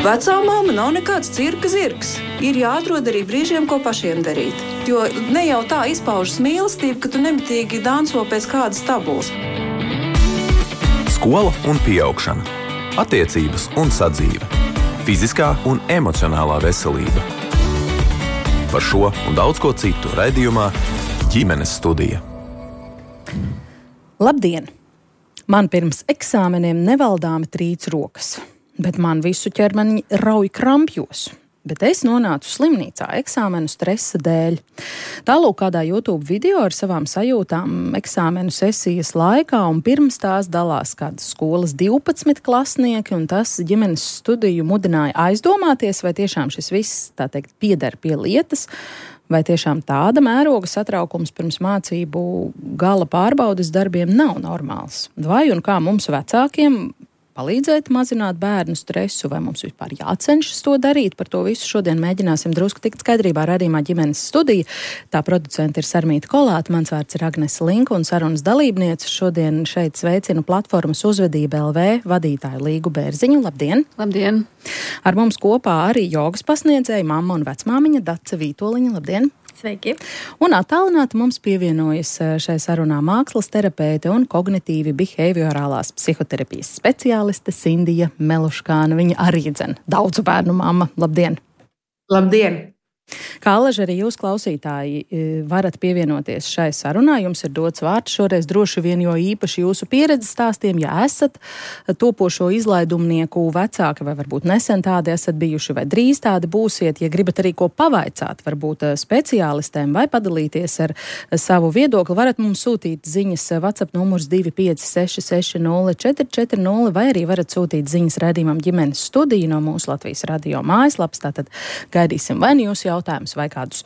Vecā mamma nav nekāds cirka zirgs. Ir jāatrod arī brīžiem, ko pašiem darīt. Jo ne jau tā izpaužas mīlestība, ka tu nemitīgi danco pēc kādas tabulas. Skola un pieaugšana, attiecības un sadzīve, fiziskā un emocionālā veselība. Par šo un daudz ko citu raidījumā Ģimenes studija. Labdien! Man pirms eksāmeniem nevaldāmi trīc rokas, bet man visu ķermeni rauj krampjos. Bet es nonācu slimnīcā eksāmenu stresa dēļ. Tālūk kādā YouTube video ar savām sajūtām eksāmenu sesijas laikā, un pirms tās dalās kādas skolas 12 klasnieki, un tas ģimenes studiju mudināja aizdomāties, vai tiešām šis viss, tā teikt, pieder pie lietas, vai tiešām tāda mēroga satraukums pirms mācību gala pārbaudes darbiem nav normāls. Vai un kā mums vecākiem palīdzēt mazināt bērnu stresu, vai mums vispār jācenšas to darīt? Par to visu šodien mēģināsim drusku tikt skaidrībā raidījumā Ģimenes studija. Tā producente ir Sarmīta Kolāte, mans vārds ir Agnese Linka, un sarunas dalībniece šodien šeit sveicinu platformas Uzvedība LV vadītāju Līgu Bērziņu. Labdien! Labdien! Ar mums kopā arī jogas pasniedzēja mamma un vecmāmiņa Dace Vītoliņa. Labdien! Sveiki! Un attālināti mums pievienojas šai sarunā mākslas terapeite un kognitīvi behaviorālās psihoterapijas speciāliste Sindija Meluškāna. Viņa arī daudzu bērnu mamma. Labdien! Labdien! Kā alaži arī jūs, klausītāji, varat pievienoties šai sarunā. Jums ir dots vārds šoreiz droši vien, jo īpaši jūsu pieredzes stāstiem, ja esat topošo izlaidumnieku vecāki, vai varbūt nesen tādi esat bijuši, vai drīz tādi būsiet, ja gribat arī ko pavaicāt, varbūt speciālistēm, vai padalīties ar savu viedokli, varat mums sūtīt ziņas WhatsApp numurs 25660 vai arī varat sūtīt ziņas raidījumam Ģimenes studija no mūsu Latvijas radio mājaslapas. Tātad gaidīsim vai nu jūsu jautājumus vai kādus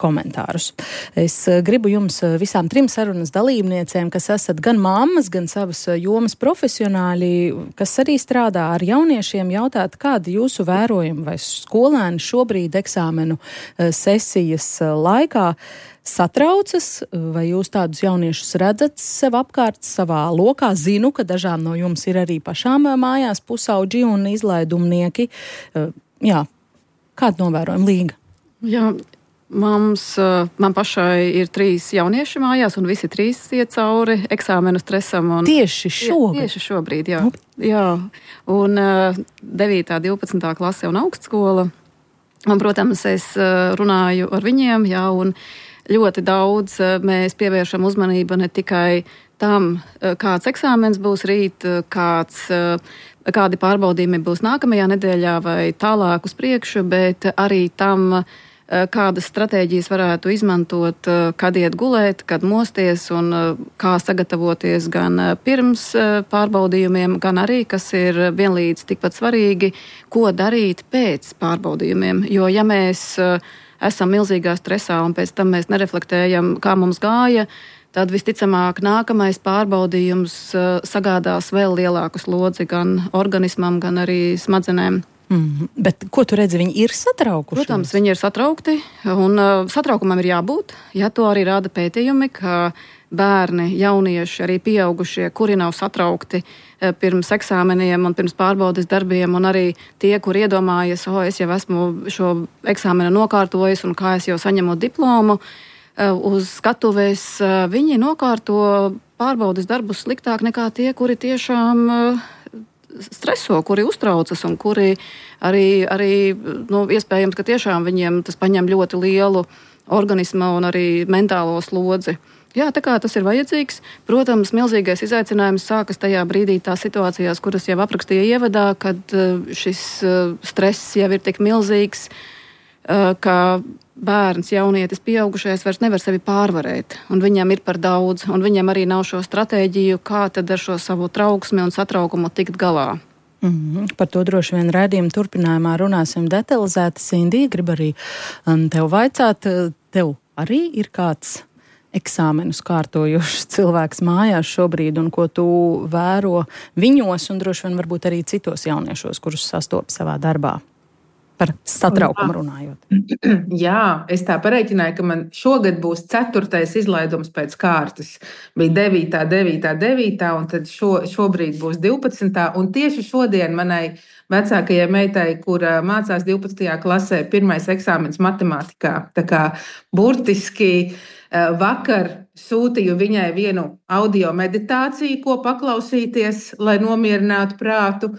komentārus. Es gribu jums visām trim sarunas dalībniecēm, kas esat gan mammas, gan savas jomas profesionāļi, kas arī strādā ar jauniešiem, jautāt, kādi jūsu vērojumi vai skolēni šobrīd eksāmenu sesijas laikā satraucas, vai jūs tādus jauniešus redzat sev apkārt, savā lokā? Zinu, ka dažām no jums ir arī pašām mājās pusauģi un izlaidumnieki. Jā, kādu novērojumu, Līga? Jā, man pašai ir 3 jaunieši mājās, un visi 3 iet cauri eksāmenu stresam. Tieši šogad? Tieši šobrīd, jā. Jā. Un 9. 12. klase un augstskola. Un, protams, es runāju ar viņiem, jā, un ļoti daudz mēs pievēršam uzmanību ne tikai tam, kāds eksāmens būs rīt, kādi pārbaudījumi būs nākamajā nedēļā vai tālāk uz priekšu, bet arī tam, kādas stratēģijas varētu izmantot, kad iet gulēt, kad mosties un kā sagatavoties gan pirms pārbaudījumiem, gan arī, kas ir vienlīdz tikpat svarīgi, ko darīt pēc pārbaudījumiem. Jo ja mēs esam milzīgā stresā un pēc tam mēs nereflektējam, kā mums gāja, tad visticamāk nākamais pārbaudījums sagādās vēl lielāku slodzi gan organismam, gan arī smadzenēm. Bet ko tu redzi, viņi ir satraukuši? Protams, viņi ir satraukti, un satraukumam ir jābūt. Ja to arī rāda pētījumi, ka bērni, jaunieši, arī pieaugušie, kuri nav satraukti pirms eksāmeniem un pirms pārbaudes darbiem, un arī tie, kur iedomājas, es jau esmu šo eksāmenu nokārtojis un kā es jau saņemu diplomu, uz skatuves viņi nokārto pārbaudes darbus sliktāk nekā tie, kuri tiešām streso, kuri uztraucas un kuri arī iespējams, ka tiešām viņiem tas paņem ļoti lielu organisma un arī mentālo slodzi. Jā, tā kā tas ir vajadzīgs. Protams, milzīgais izaicinājums sākas tajā brīdī tās situācijās, kuras jau aprakstīja ievadā, kad šis stress jau ir tik milzīgs, ka bērns, jaunietis, pieaugušais vairs nevar sevi pārvarēt, un viņam ir par daudz, un viņam arī nav šo stratēģiju, kā tad ar šo savu trauksmi un satraukumu tikt galā. Par to droši vien raidījuma turpinājumā runāsim detalizēti. Sindija, grib arī tev vaicāt, tev arī ir kāds eksāmenus kārtojušs cilvēks mājās šobrīd, un ko tu vēro viņos, un droši vien varbūt arī citos jauniešos, kurus sastopi savā darbā? par satraukumu runājot. Jā, es tā pareiķināju, ka man šogad būs 4. izlaidums pēc kārtas. Bija 9., un tad šobrīd būs 12. Un tieši šodien manai vecākajai meitai, kura mācās 12. klasē, 1. eksāmens matemātikā. Tā kā burtiski vakar sūtīju viņai vienu audio meditāciju, ko paklausīties, lai nomierinātu prātu.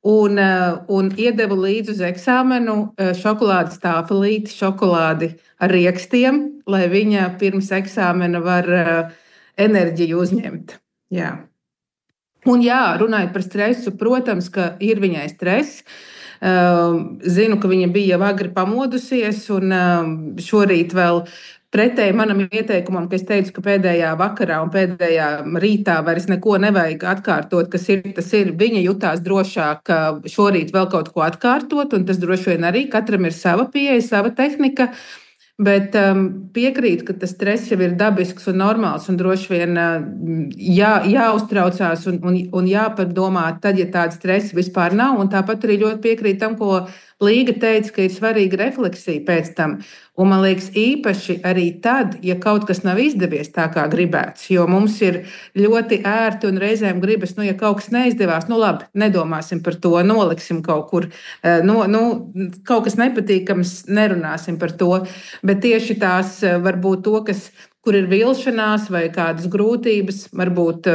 Un iedevu līdzi uz eksāmenu šokolādes tāfelīti, šokolādi ar riekstiem, lai viņa pirms eksāmena var enerģiju uzņemt. Jā. Un jā, runājot par stresu, protams, ka ir viņai stress. Zinu, ka viņa bija jau agri pamodusies, un šorīt vēl pretēji manam ieteikumam, ka es teicu, ka pēdējā vakarā un pēdējā rītā vairs neko nevajag atkārtot, kas ir, tas ir. Viņa jutās drošāk šorīt vēl kaut ko atkārtot, un tas droši vien arī katram ir sava pieeja, sava tehnika. Bet piekrītu, ka tas stress jau ir dabisks un normāls, un droši vien jāuztraucās un jāpadomā tad, ja tāda stresa vispār nav. Un tāpat arī ļoti piekrītu tam, ko Līga teica, ka ir svarīga refleksija pēc tam. Un man liekas, īpaši arī tad, ja kaut kas nav izdevies tā, kā gribēts, jo mums ir ļoti ērti un reizēm gribas, ja kaut kas neizdevās, labi, nedomāsim par to, noliksim kaut kur, kaut kas nepatīkams, nerunāsim par to. Bet tieši tās varbūt to, kur ir vilšanās vai kādas grūtības, varbūt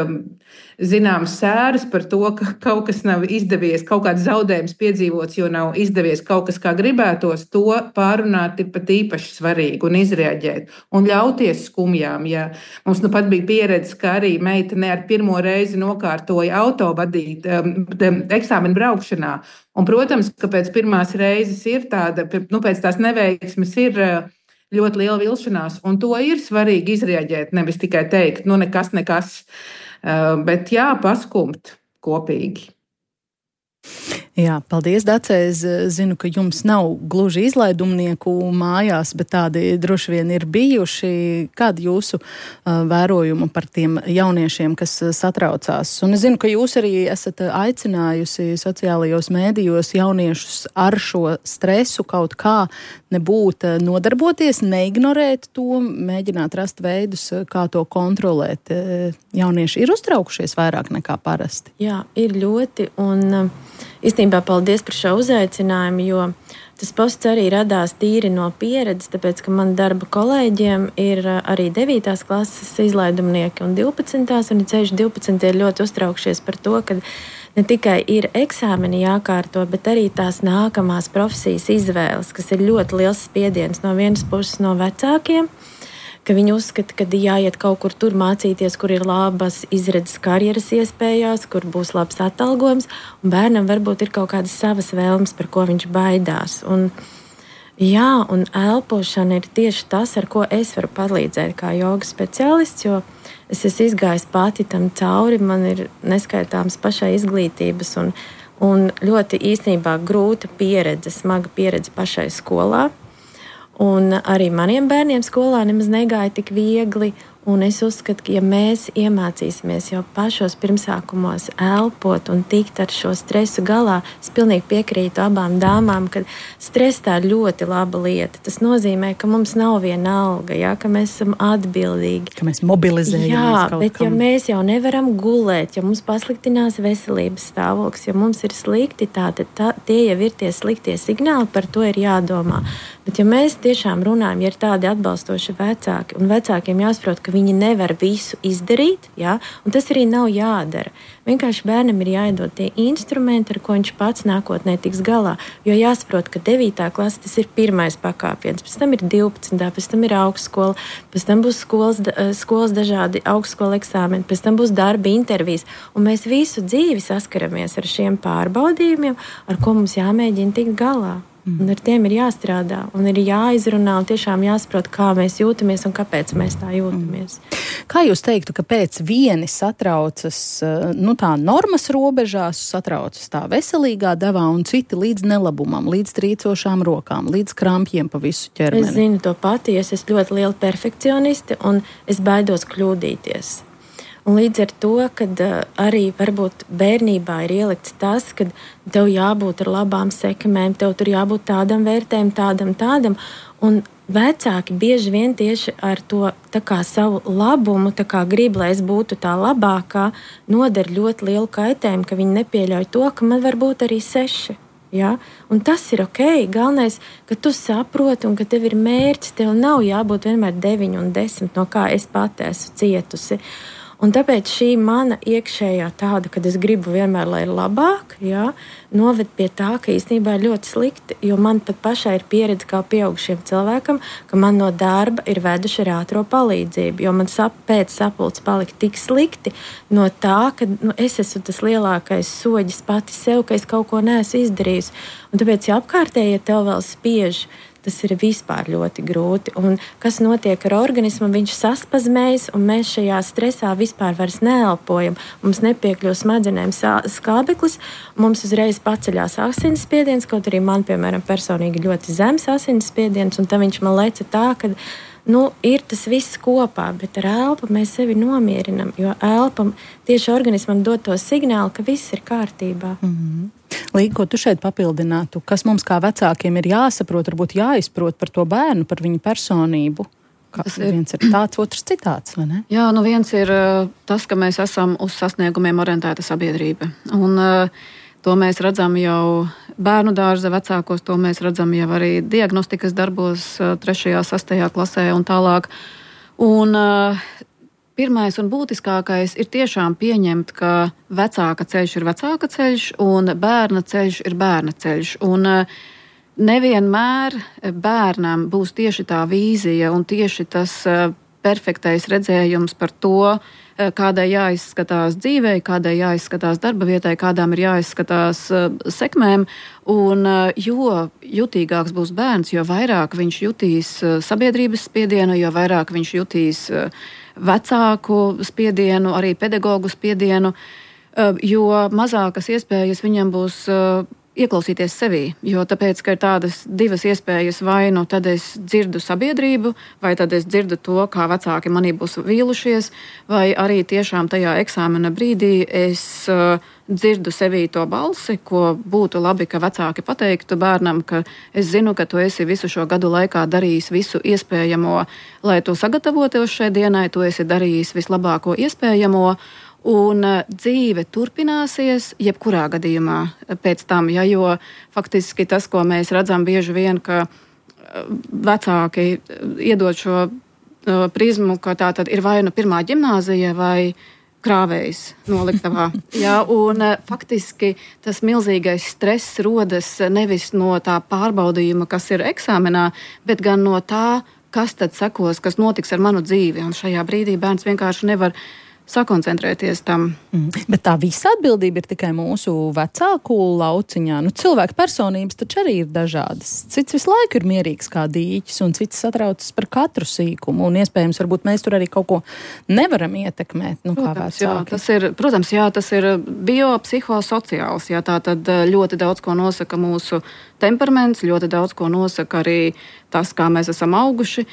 zināmas sēras par to, ka kaut kas nav izdevies, kaut kāds zaudējums piedzīvots, jo nav izdevies kaut kas, kā gribētos, to pārunāt ir pat īpaši svarīgi un izreaģēt un ļauties skumjām. Ja mums pat bija pieredze, ka arī meitene ar pirmo reizi nokārtoja auto vadīt eksāmenu braukšanā. Un, protams, ka pēc pirmās reizes ir tāda, pēc tās neveiksmes ir ļoti liela vilšanās, un to ir svarīgi izreaģēt, nevis tikai teikt, nekas, bet paskumt kopīgi. Jā, paldies, Dace. Es zinu, ka jums nav gluži izlaidumnieku mājās, bet tādi droši vien ir bijuši. Kādi jūsu vērojumi par tiem jauniešiem, kas satraucās? Un es zinu, ka jūs arī esat aicinājusi sociālajos mēdījos jauniešus ar šo stresu kaut kā nebūt nodarboties, neignorēt to, mēģināt rast veidus, kā to kontrolēt. Jaunieši ir uztraukušies vairāk nekā parasti? Jā, ir ļoti, un īstenībā paldies par šo uzaicinājumu, jo tas posts arī radās tīri no pieredzes, tāpēc, ka man darba kolēģiem ir arī 9. klases izlaidumnieki un 12. un ceļš 12. ir ļoti uztraukšies par to, ka ne tikai ir eksāmeni jākārto, bet arī tās nākamās profesijas izvēles, kas ir ļoti liels spiediens no vienas puses no vecākiem, ka viņi uzskata, ka jāiet kaut kur tur mācīties, kur ir labas izredzes karjeras iespējās, kur būs labs atalgojums, un bērnam varbūt ir kaut kādas savas vēlmes, par ko viņš baidās. Un elpošana ir tieši tas, ar ko es varu palīdzēt kā jogas speciālists, jo es esmu izgājis pati tam cauri, man ir neskaitāms pašai izglītības un ļoti īstenībā grūta pieredze, smaga pieredze pašai skolā. Un arī maniem bērniem skolā nemaz negāja tik viegli, un es uzskatu, ka ja mēs iemācīsimies jau pašos pirmsākumos elpot un tikt ar šo stresu galā, es pilnīgi piekrītu abām dāmām, ka stress tā ir ļoti laba lieta. Tas nozīmē, ka mums nav viena alga, ka mēs esam atbildīgi. Ka mēs mobilizējamies kaut kam. Bet ja mēs jau nevaram gulēt, ja mums pasliktinās veselības stāvoklis, ja mums ir slikti, tie jau ir tie sliktie signāli, par to ir jādomā. Bet ja mēs tiešām runājam, ja ir tādi atbalstoši vecāki, un vecākiem jāsaprot, ka viņi nevar visu izdarīt, un tas arī nav jādara. Vienkārši bērnam ir jāiedod tie instrumenti, ar ko viņš pats nākotnē tiks galā. Jo jāsaprot, ka 9. klase tas ir pirmais pakāpiens, pēc tam ir 12. pēc tam ir augstskola, pēc tam būs skolas dažādi augstskola eksāmeni, pēc tam būs darba intervijas. Un mēs visu dzīvi saskaramies ar šiem pārbaudījumiem, ar ko mums jāmēģina tikt galā. Un ar tiem ir jāstrādā un ir jāizrunā un tiešām jāsaprot, kā mēs jūtamies un kāpēc mēs tā jūtamies. Kā jūs teiktu, ka pēc vieni satraucas tā normas robežās, satraucas tā veselīgā devā un citi līdz nelabumam, līdz trīcošām rokām, līdz krampjiem pa visu ķermeni? Es zinu to pati, es esmu ļoti liela perfekcioniste un es baidos kļūdīties. Un līdz ar to, kad arī varbūt bērnībā ir ielikts tas, ka tev jābūt ar labām sekmēm, tev tur jābūt tādam vērtēm, tādam. Un vecāki bieži vien tieši ar to savu labumu, grib, lai es būtu tā labākā, nodara ļoti lielu kaitējumu, ka viņi nepieļauj to, ka man var būt arī 6. Ja? Un tas ir ok. Galvenais, ka tu saproti un ka tev ir mērķis. Tev nav jābūt vienmēr 9 un 10, no kā es pati esmu cietusi. Un tāpēc šī mana iekšējā tāda, kad es gribu vienmēr, lai ir labāk, ja, noved pie tā, ka īstenībā ir ļoti slikti. Jo man pat pašai ir pieredze kā pieaugušiem cilvēkam, ka man no darba ir veduši ar ātro palīdzību. Jo man pēc sapulces palika tik slikti no tā, ka es esmu tas lielākais soģis pati sev, ka es kaut ko neesmu izdarījusi. Un tāpēc, ja apkārtējie tev vēl spiež, tas ir vispār ļoti grūti. Un kas notiek ar organismu? Viņš saspazmējas, un mēs šajā stresā vispār vairs neelpojam. Mums nepiekļūst smadzenēm skābeklis, mums uzreiz paceļās asinsspiediens, kaut arī man, piemēram, personīgi ļoti zems asinsspiediens, un tam viņš man leca tā, ka ir tas viss kopā, bet ar elpu mēs sevi nomierinam, jo elpam tieši organismam dod to signālu, ka viss ir kārtībā. Mm-hmm. Līga, ko tu šeit papildinātu? Kas mums kā vecākiem ir jāsaprot, varbūt jāizprot par to bērnu, par viņu personību? Viens ir tāds, otrs citāds, vai ne? Jā, viens ir tas, ka mēs esam uz sasniegumiem orientēta sabiedrība. Un to mēs redzam jau bērnu dārza vecākos, to mēs redzam jau arī diagnostikas darbos 3., 6. klasē un tālāk. Un pirmais un būtiskākais ir tiešām pieņemt, ka vecāka ceļš ir vecāka ceļš un bērna ceļš ir bērna ceļš. Un nevienmēr bērnam būs tieši tā vīzija un tieši tas perfektais redzējums par to, kādai jāizskatās dzīvei, kādai jāizskatās darba vietai, kādām ir jāizskatās sekmēm. Un jo jutīgāks būs bērns, jo vairāk viņš jutīs sabiedrības spiedienu, jo vairāk viņš jutīs vecāku spiedienu, arī pedagogu spiedienu, jo mazākas iespējas viņam būs ieklausīties sevī, jo tāpēc, ka ir tādas divas iespējas, vai tad es dzirdu sabiedrību, vai tad es dzirdu to, kā vecāki manī būs vīlušies, vai arī tiešām tajā eksāmena brīdī es dzirdu sevī to balsi, ko būtu labi, ka vecāki pateiktu bērnam, ka es zinu, ka tu esi visu šo gadu laikā darījis visu iespējamo, lai tu sagatavotos šai dienai, tu esi darījis vislabāko iespējamo, un dzīve turpināsies jebkurā gadījumā pēc tam, jo faktiski tas, ko mēs redzam bieži vien, ka vecāki iedod šo prizmu, ka tā tad ir vai nu pirmā ģimnāzija vai krāvējs noliktavā. Un faktiski tas milzīgais stress rodas nevis no tā pārbaudījuma, kas ir eksāmenā, bet gan no tā, kas tad sekos, kas notiks ar manu dzīvi. Un šajā brīdī bērns vienkārši nevar sakoncentrēties tam. Bet tā visa atbildība ir tikai mūsu vecāku lauciņā. Cilvēku personības taču arī ir dažādas. Cits visu laiku ir mierīgs kā dīķis, un cits satraucas par katru sīkumu. Un iespējams, varbūt mēs tur arī kaut ko nevaram ietekmēt. Protams, tas ir biopsihosociāls. Tā tad ļoti daudz ko nosaka mūsu temperaments, ļoti daudz ko nosaka arī tas, kā mēs esam auguši.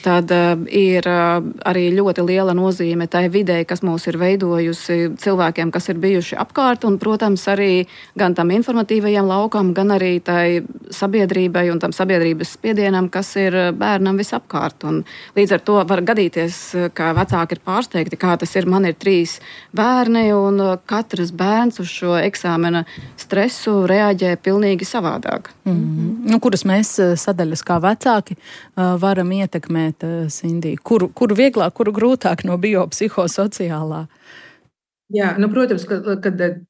Tad ir arī ļoti liela nozīme tai videi, kas mūs ir veidojusi, cilvēkiem, kas ir bijuši apkārt, un, protams, arī gan tam informatīvajam laukam, gan arī tai sabiedrībai un tam sabiedrības spiedienam, kas ir bērnam visapkārt. Un līdz ar to var gadīties, ka vecāki ir pārsteigti, kā tas ir. Man ir 3 bērni, un katrs bērns uz šo eksāmena stresu reaģē pilnīgi savādāk. Kuras mēs sadaļas kā vecāki varam ietekmēt, Sindija? Kuru vieglāk, kuru grūtāk no biopsihosociālā? Jā, protams, ka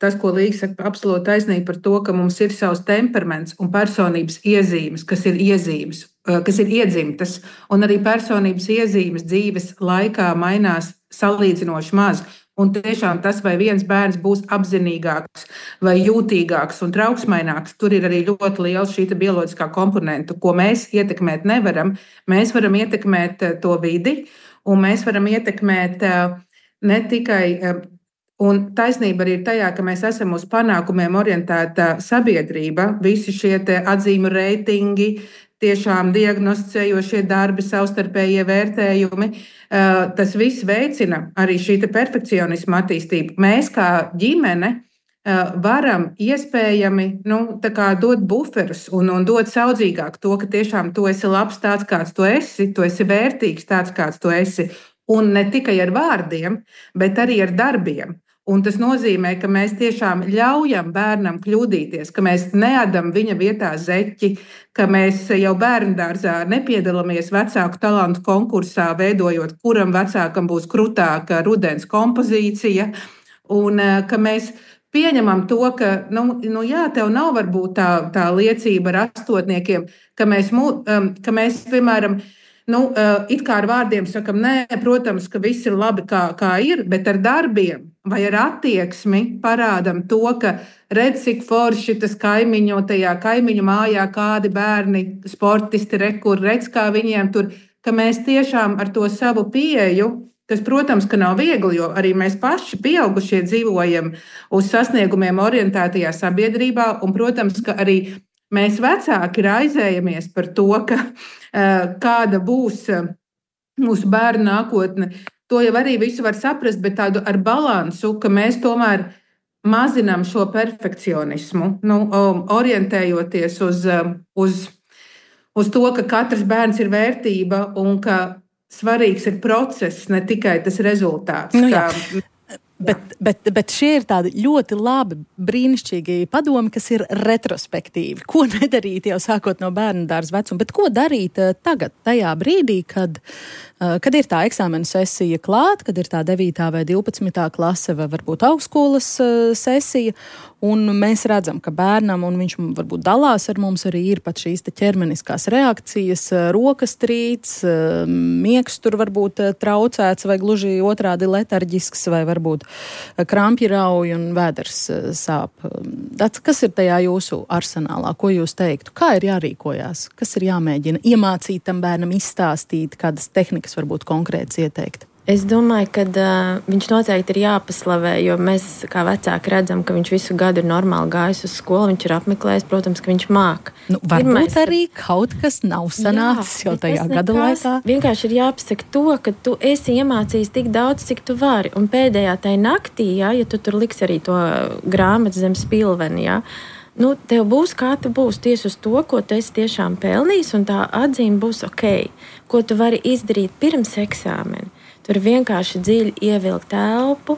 tas, ko Līga saka, absolūti taisnīgi par to, ka mums ir savs temperaments un personības iezīmes, kas ir iedzimtas, un arī personības iezīmes dzīves laikā mainās salīdzinoši maz. Un tiešām tas, vai viens bērns būs apzinīgāks vai jūtīgāks un trauksmaināks, tur ir arī ļoti liela šī bioloģiskā komponenta, ko mēs ietekmēt nevaram. Mēs varam ietekmēt to vidi, un mēs varam ietekmēt ne tikai, un taisnība arī ir tajā, ka mēs esam uz panākumiem orientēta sabiedrība, visi šie atzīmu reitingi, tiešām diagnosticējošie darbi, savstarpējie vērtējumi. Tas viss veicina arī šī perfekcionisma attīstību. Mēs kā ģimene varam iespējami dot buferus un dot saudzīgāk to, ka tiešām tu esi labs tāds, kāds tu esi vērtīgs tāds, kāds tu esi. Un ne tikai ar vārdiem, bet arī ar darbiem. Un tas nozīmē, ka mēs tiešām ļaujam bērnam kļūdīties, ka mēs neadam viņa vietā zeķi, ka mēs jau bērndārzā nepiedalāmies vecāku talantu konkursā, veidojot, kuram vecākam būs krutāka rudens kompozīcija, un ka mēs pieņemam to, ka, tev nav varbūt tā liecība ar astotniekiem, ka mēs piemēram, it kā ar vārdiem sakam, nē, protams, ka viss ir labi, kā ir, bet ar darbiem vai ar attieksmi parādam to, ka redz, cik forši tas kaimiņu mājā kādi bērni, sportisti, redz, kā viņiem tur, ka mēs tiešām ar to savu pieeju, kas, protams, ka nav viegli, jo arī mēs paši pieaugušie dzīvojam uz sasniegumiem orientētajā sabiedrībā, un, protams, ka arī mēs vecāki raizējamies par to, kāda būs mūsu bērnu nākotne. To jau arī visu var saprast, bet tādu ar balansu, ka mēs tomēr mazinām šo perfekcionismu, orientējoties uz to, ka katrs bērns ir vērtība un ka svarīgs ir process, ne tikai tas rezultāts. Bet šie ir tādi ļoti labi, brīnišķīgi padomi, kas ir retrospektīvi. Ko nedarīt jau sākot no bērnu dārza vecuma, bet ko darīt tagad, tajā brīdī, kad ir tā eksāmena sesija klāt, kad ir tā 9. vai 12. klase vai varbūt augstskolas sesija, un mēs redzam, ka bērnam, un viņš varbūt dalās ar mums, arī ir pat šīs ķermeniskās reakcijas, rokas trīc, miegs tur varbūt traucēts vai gluži otrādi letarģisks vai varbūt krampji rauj un vēders sāp. Kas ir tajā jūsu arsenālā? Ko jūs teiktu? Kā ir jārīkojās? Kas ir jāmēģina iemācīt tam bērnam, izstāstīt, kādas tehnikas varbūt konkrētas ieteikt? Es domāju, ka viņš noteikti ir jāpaslavē, jo mēs kā vecāki redzam, ka viņš visu gadu ir normāli gājis uz skolu, viņš ir apmeklējis, protams, ka viņš māk. Varbūt arī kaut kas nav sanācis jau tajā gada laikā. Vienkārši ir jāpasaka to, ka tu esi iemācījis tik daudz, cik tu vari. Un pēdējā tai naktī, ja tu tur liksi arī to grāmatu zem spilveni, tev būs kā tu būs tieši uz to, ko tu esi tiešām pelnījis, un tā atzīme būs ok. Ko tu vari izdarīt pirms eksāmena? Tur vienkārši dziļi ievilkt elpu,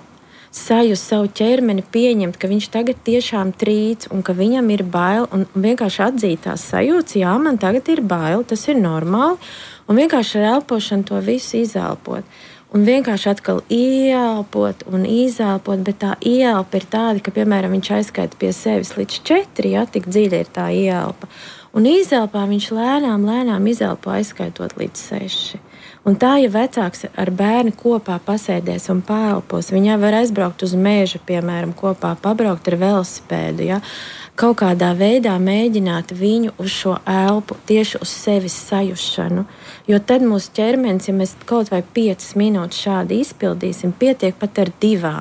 sajust savu ķermeni, pieņemt, ka viņš tagad tiešām trīc un ka viņam ir bail, un vienkārši atzīt tās sajūtas, jā, man tagad ir bail, tas ir normāli, un vienkārši ar elpošanu to visu izelpot. Un vienkārši atkal ieelpot un izelpot, bet tā ieelpa ir tāda, ka, piemēram, viņš aizskaita pie sevis līdz 4, tik dziļi ir tā ieelpa. Un izelpā viņš lēnām izelpo aizskaitot līdz 6. Un tā, ja vecāks ar bērnu kopā pasēdēs un paelpos, viņā var aizbraukt uz mežu, piemēram, kopā pabraukt ar velosipēdu, kaut kādā veidā mēģināt viņu uz šo elpu, tieši uz sevis sajušanu. Jo tad mūsu ķermenis, ja mēs kaut vai 5 minūtes šādi izpildīsim, pietiek pat ar 2.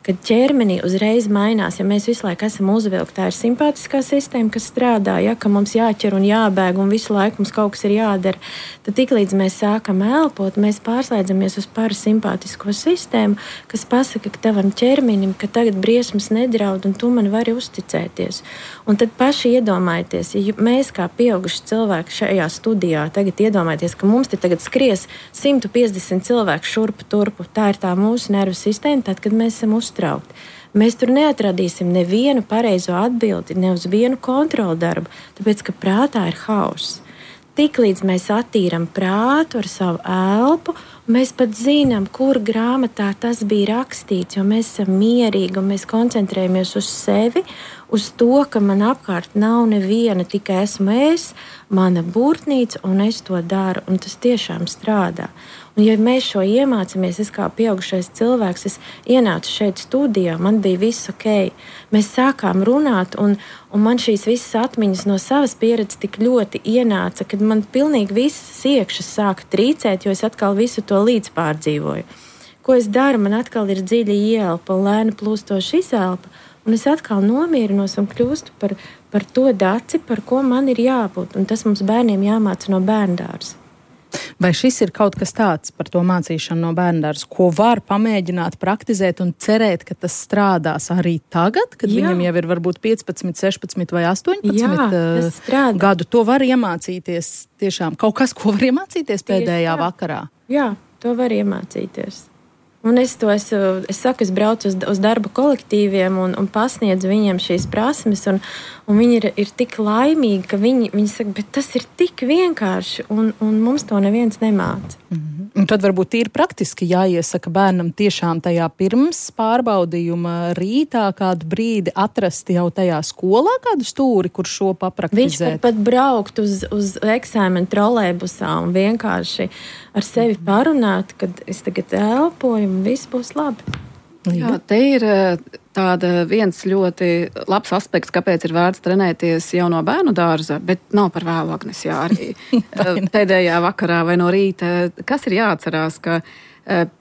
Kad ķermenī uzreiz mainās, ja mēs visu laiku esam uzvilkti, tā ir simpātiskā sistēma, kas strādā, ka mums jāķer un jābēg un visu laiku mums kaut kas ir jādara, tad tiklīdz mēs sākam elpot, mēs pārslēdzamies uz parasimpātisko sistēmu, kas pasaka ka tavam ķermenim, ka tagad briesmas nedraud un tu man vari uzticēties. Un tad paši iedomājieties, ja mēs kā pieauguši cilvēki šajā studijā tagad iedomājieties, ka mums te tagad skries 150 cilvēku šurpu turpu, tā ir tā mūsu nervu sistēma, tad, kad mēs esam uztraukti. Mēs tur neatradīsim nevienu pareizo atbildi, ne uz vienu kontrolu darbu, tāpēc, ka prātā ir hauss. Tiklīdz mēs attīram prātu ar savu elpu, mēs pat zinām, kur grāmatā tas bija rakstīts, jo mēs esam mierīgi un mēs koncentrējamies uz sevi, uz to, ka man apkārt nav neviena, tikai esmu es, mana burtnīca un es to daru, un tas tiešām strādā. Un, ja mēs šo iemācāmies, es kā pieaugušais cilvēks, es ienācu šeit studijā, man bija viss ok. Mēs sākām runāt, un man šīs visas atmiņas no savas pieredzes tik ļoti ienāca, kad man pilnīgi visas iekšas sāka trīcēt, jo es atkal visu to līdz pārdzīvoju. Ko es daru? Man atkal ir dziļa ieelpa un lēni plūstoša izelpa, un es atkal nomierinos un kļūstu par par to daci, par ko man ir jābūt. Un tas mums bērniem jāmāca no bērndārza. Vai šis ir kaut kas tāds par to mācīšanu no bērndārza, ko var pamēģināt, praktizēt un cerēt, ka tas strādās arī tagad, kad viņam jau ir varbūt 15, 16 vai 18 gadu? To var iemācīties tiešām kaut kas, ko var iemācīties pēdējā vakarā? Jā, to var iemācīties. Un es saku, es braucu uz darba kolektīviem un pasniedzu viņiem šīs prasmes, un viņi ir tik laimīgi, ka viņi saka, bet tas ir tik vienkārši, un mums to neviens nemāca. Un tad varbūt ir praktiski jāiesaka bērnam tiešām tajā pirms pārbaudījuma rītā kādu brīdi atrast jau tajā skolā kādu stūri, kur šo papraktizēt. Viņš pat braukt uz eksāmenu trolejbusā un vienkārši ar sevi parunāt, kad es tagad elpoju un viss būs labi. Jā, te ir viens ļoti labs aspekts, kāpēc ir vērts trenēties jau no bērnu dārza, bet nav par vēlu, Agnes, jā, arī pēdējā vakarā vai no rīta. Kas ir jāatcerās, ka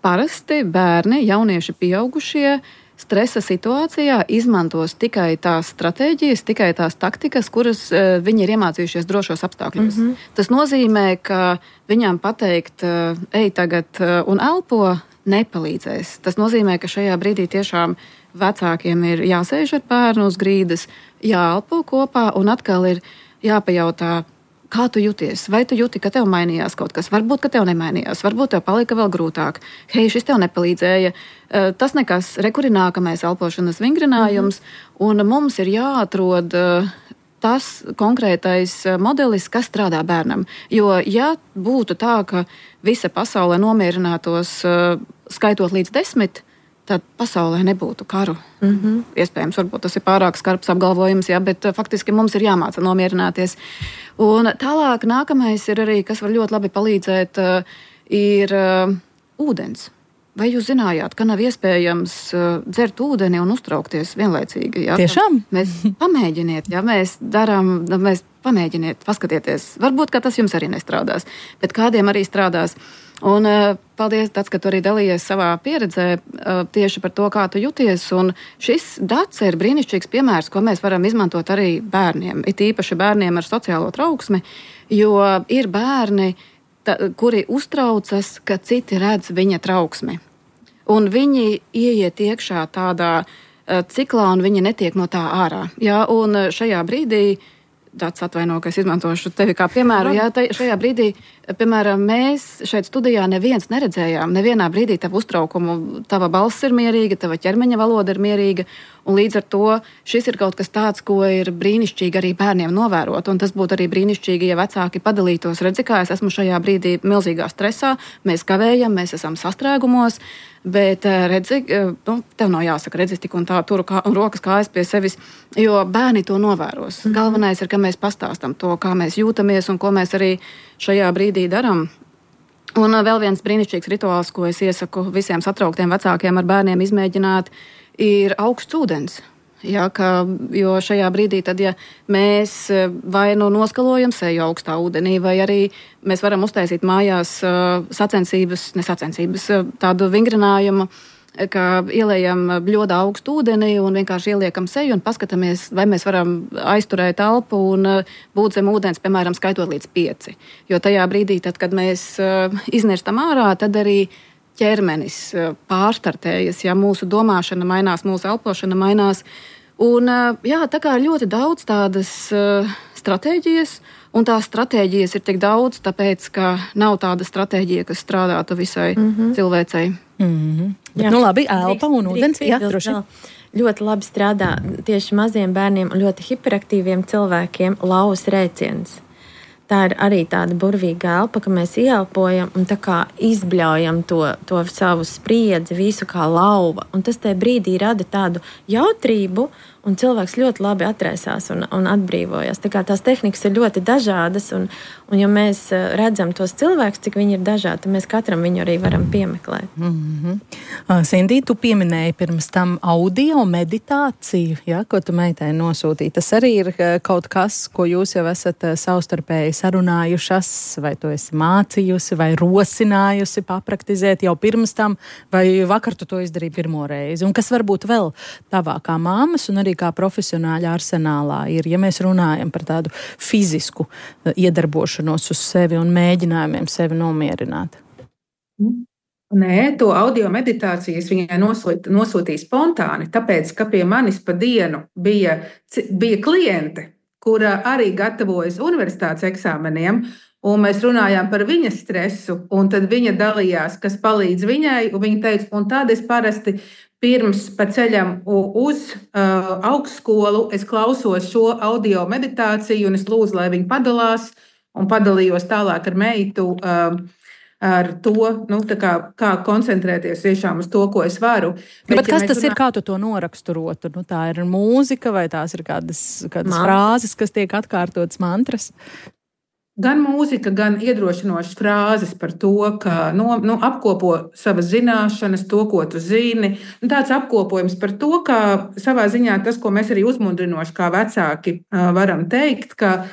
parasti bērni, jaunieši, pieaugušie stresa situācijā izmantos tikai tās stratēģijas, tikai tās taktikas, kuras viņi ir iemācījušies drošos apstākļos. Tas nozīmē, ka viņām pateikt, ej tagad un elpo, nepalīdzēs. Tas nozīmē, ka šajā brīdī tiešām vecākiem ir jāsēž ar bērnu uz grīdas, jāelpo kopā un atkal ir jāpajautā, kā tu jūties? Vai tu jūti, ka tev mainījās kaut kas? Varbūt, ka tev nemainījās, varbūt tev palika vēl grūtāk. Hei, šis tev nepalīdzēja. Tas nekas, nākamais elpošanas vingrinājums, un mums ir jāatrod tas konkrētais modelis, kas strādā bērnam. Jo, ja būtu tā, ka visa pasaulē nomierinātos skaitot līdz 10, tad pasaulē nebūtu karu. Iespējams, varbūt tas ir pārāk skarbs apgalvojums, bet faktiski mums ir jāmāca nomierināties. Un tālāk nākamais ir arī, kas var ļoti labi palīdzēt, ir ūdens. Vai jūs zinājāt, ka nav iespējams dzert ūdeni un uztraukties vienlaicīgi? Jā? Tiešām? Mēs pamēģiniet, mēs pamēģiniet, paskatieties. Varbūt, ka tas jums arī nestrādās, bet kādiem arī strādās. Un paldies, Dats, ka tu arī dalījies savā pieredzē tieši par to, kā tu jūties. Un šis Dats ir brīnišķīgs piemērs, ko mēs varam izmantot arī bērniem. It īpaši bērniem ar sociālo trauksmi, jo ir bērni, kuri uztraucas, ka citi redz viņa trauksmi. Un viņi ieiet iekšā tādā ciklā, un viņi netiek no tā ārā. Jā, un šajā brīdī, Dats atvaino, ka es izmantošu tevi kā piemēru, šajā brīdī, piemēram, mēs šeit studijā neviens neredzējām, nevienā brīdī tavu uztraukumu, tava balss ir mierīga, tava ķermeņa valoda ir mierīga, un līdz ar to šis ir kaut kas tāds, ko ir brīnišķīgi arī bērniem novērot, un tas būtu arī brīnišķīgi, ja vecāki padalītos, redzi, kā es esmu šajā brīdī milzīgā stresā, mēs kavējam, mēs esam sastrēgumos, bet redzi, tev nav jāsaka, redzi, tik un tā turu rokas kājas pie sevis, jo bērni to novēros. Galvenais ir, ka mēs pastāstam to, kā mēs jūtamies un ko mēs arī šajā brīdī daram. Un vēl viens brīnišķīgs rituāls, ko es iesaku visiem satrauktiem vecākiem ar bērniem izmēģināt, ir augsts ūdens. Jā, jo šajā brīdī, tad, ja mēs vai noskalojam seju augstā ūdenī, vai arī mēs varam uztaisīt mājās tādu vingrinājumu, ka ieliejam bļodā augstu ūdeni un vienkārši ieliekam seju un paskatāmies, vai mēs varam aizturēt elpu un būt zem ūdens, piemēram, skaitot līdz 5. Jo tajā brīdī, tad, kad mēs iznirstam ārā, tad arī ķermenis pārstartējas, ja mūsu domāšana mainās, mūsu elpošana mainās. Un, tā kā ļoti daudz tādas stratēģijas, un tās stratēģijas ir tik daudz, tāpēc, ka nav tāda stratēģija, kas strādātu visai cilvēcei. Labi, elpa un ūdens. Jā, droši. Ļoti labi strādā tieši maziem bērniem un ļoti hiperaktīviem cilvēkiem lauvas rēciens. Tā ir arī tāda burvīga elpa, ka mēs ieelpojam un tā kā izbļaujam to savu spriedzi, visu kā lauva. Un tas tajā brīdī rada tādu jautrību, un cilvēks ļoti labi atraisās un atbrīvojas. Tā kā tās tehnikas ir ļoti dažādas, un ja mēs redzam tos cilvēkus, cik viņi ir dažādi, tad mēs katram viņu arī varam piemeklēt. Sindī, tu pieminēji pirms tam audio meditāciju, ko tu meitai nosūtīji. Tas arī ir kaut kas, ko jūs jau esat savstarpēji sarunājušas, vai tu esi mācījusi, vai rosinājusi papraktizēt jau pirms tam, vai vakar tu to izdarīji pirmo reizi. Un kas varbūt vēl tavā kā māmas un arī arī kā profesionāļa arsenālā ir, ja mēs runājam par tādu fizisku iedarbošanos uz sevi un mēģinājumiem sevi nomierināt? Nē, to audio meditāciju es viņai nosūtīju spontāni, tāpēc, ka pie manis pa dienu bija kliente, kura arī gatavojas universitātes eksāmeniem, un mēs runājām par viņas stresu, un tad viņa dalījās, kas palīdz viņai, un viņa teica, un tad es parasti pirms pa ceļam uz augstskolu es klausos šo audio meditāciju, un es lūdzu, lai viņi padalās, un padalījos tālāk ar meitu, ar to, kā koncentrēties tiešām uz to, ko es varu. Bet kas tas ir, kā tu to noraksturotu? Tā ir mūzika vai tās ir kādas frāzes, kas tiek atkārtotas mantras? Gan mūzika, gan iedrošinošas frāzes par to, ka apkopo savas zināšanas, to, ko tu zini. Tāds apkopojums par to, ka savā ziņā tas, ko mēs arī uzmundrinoši kā vecāki varam teikt, ka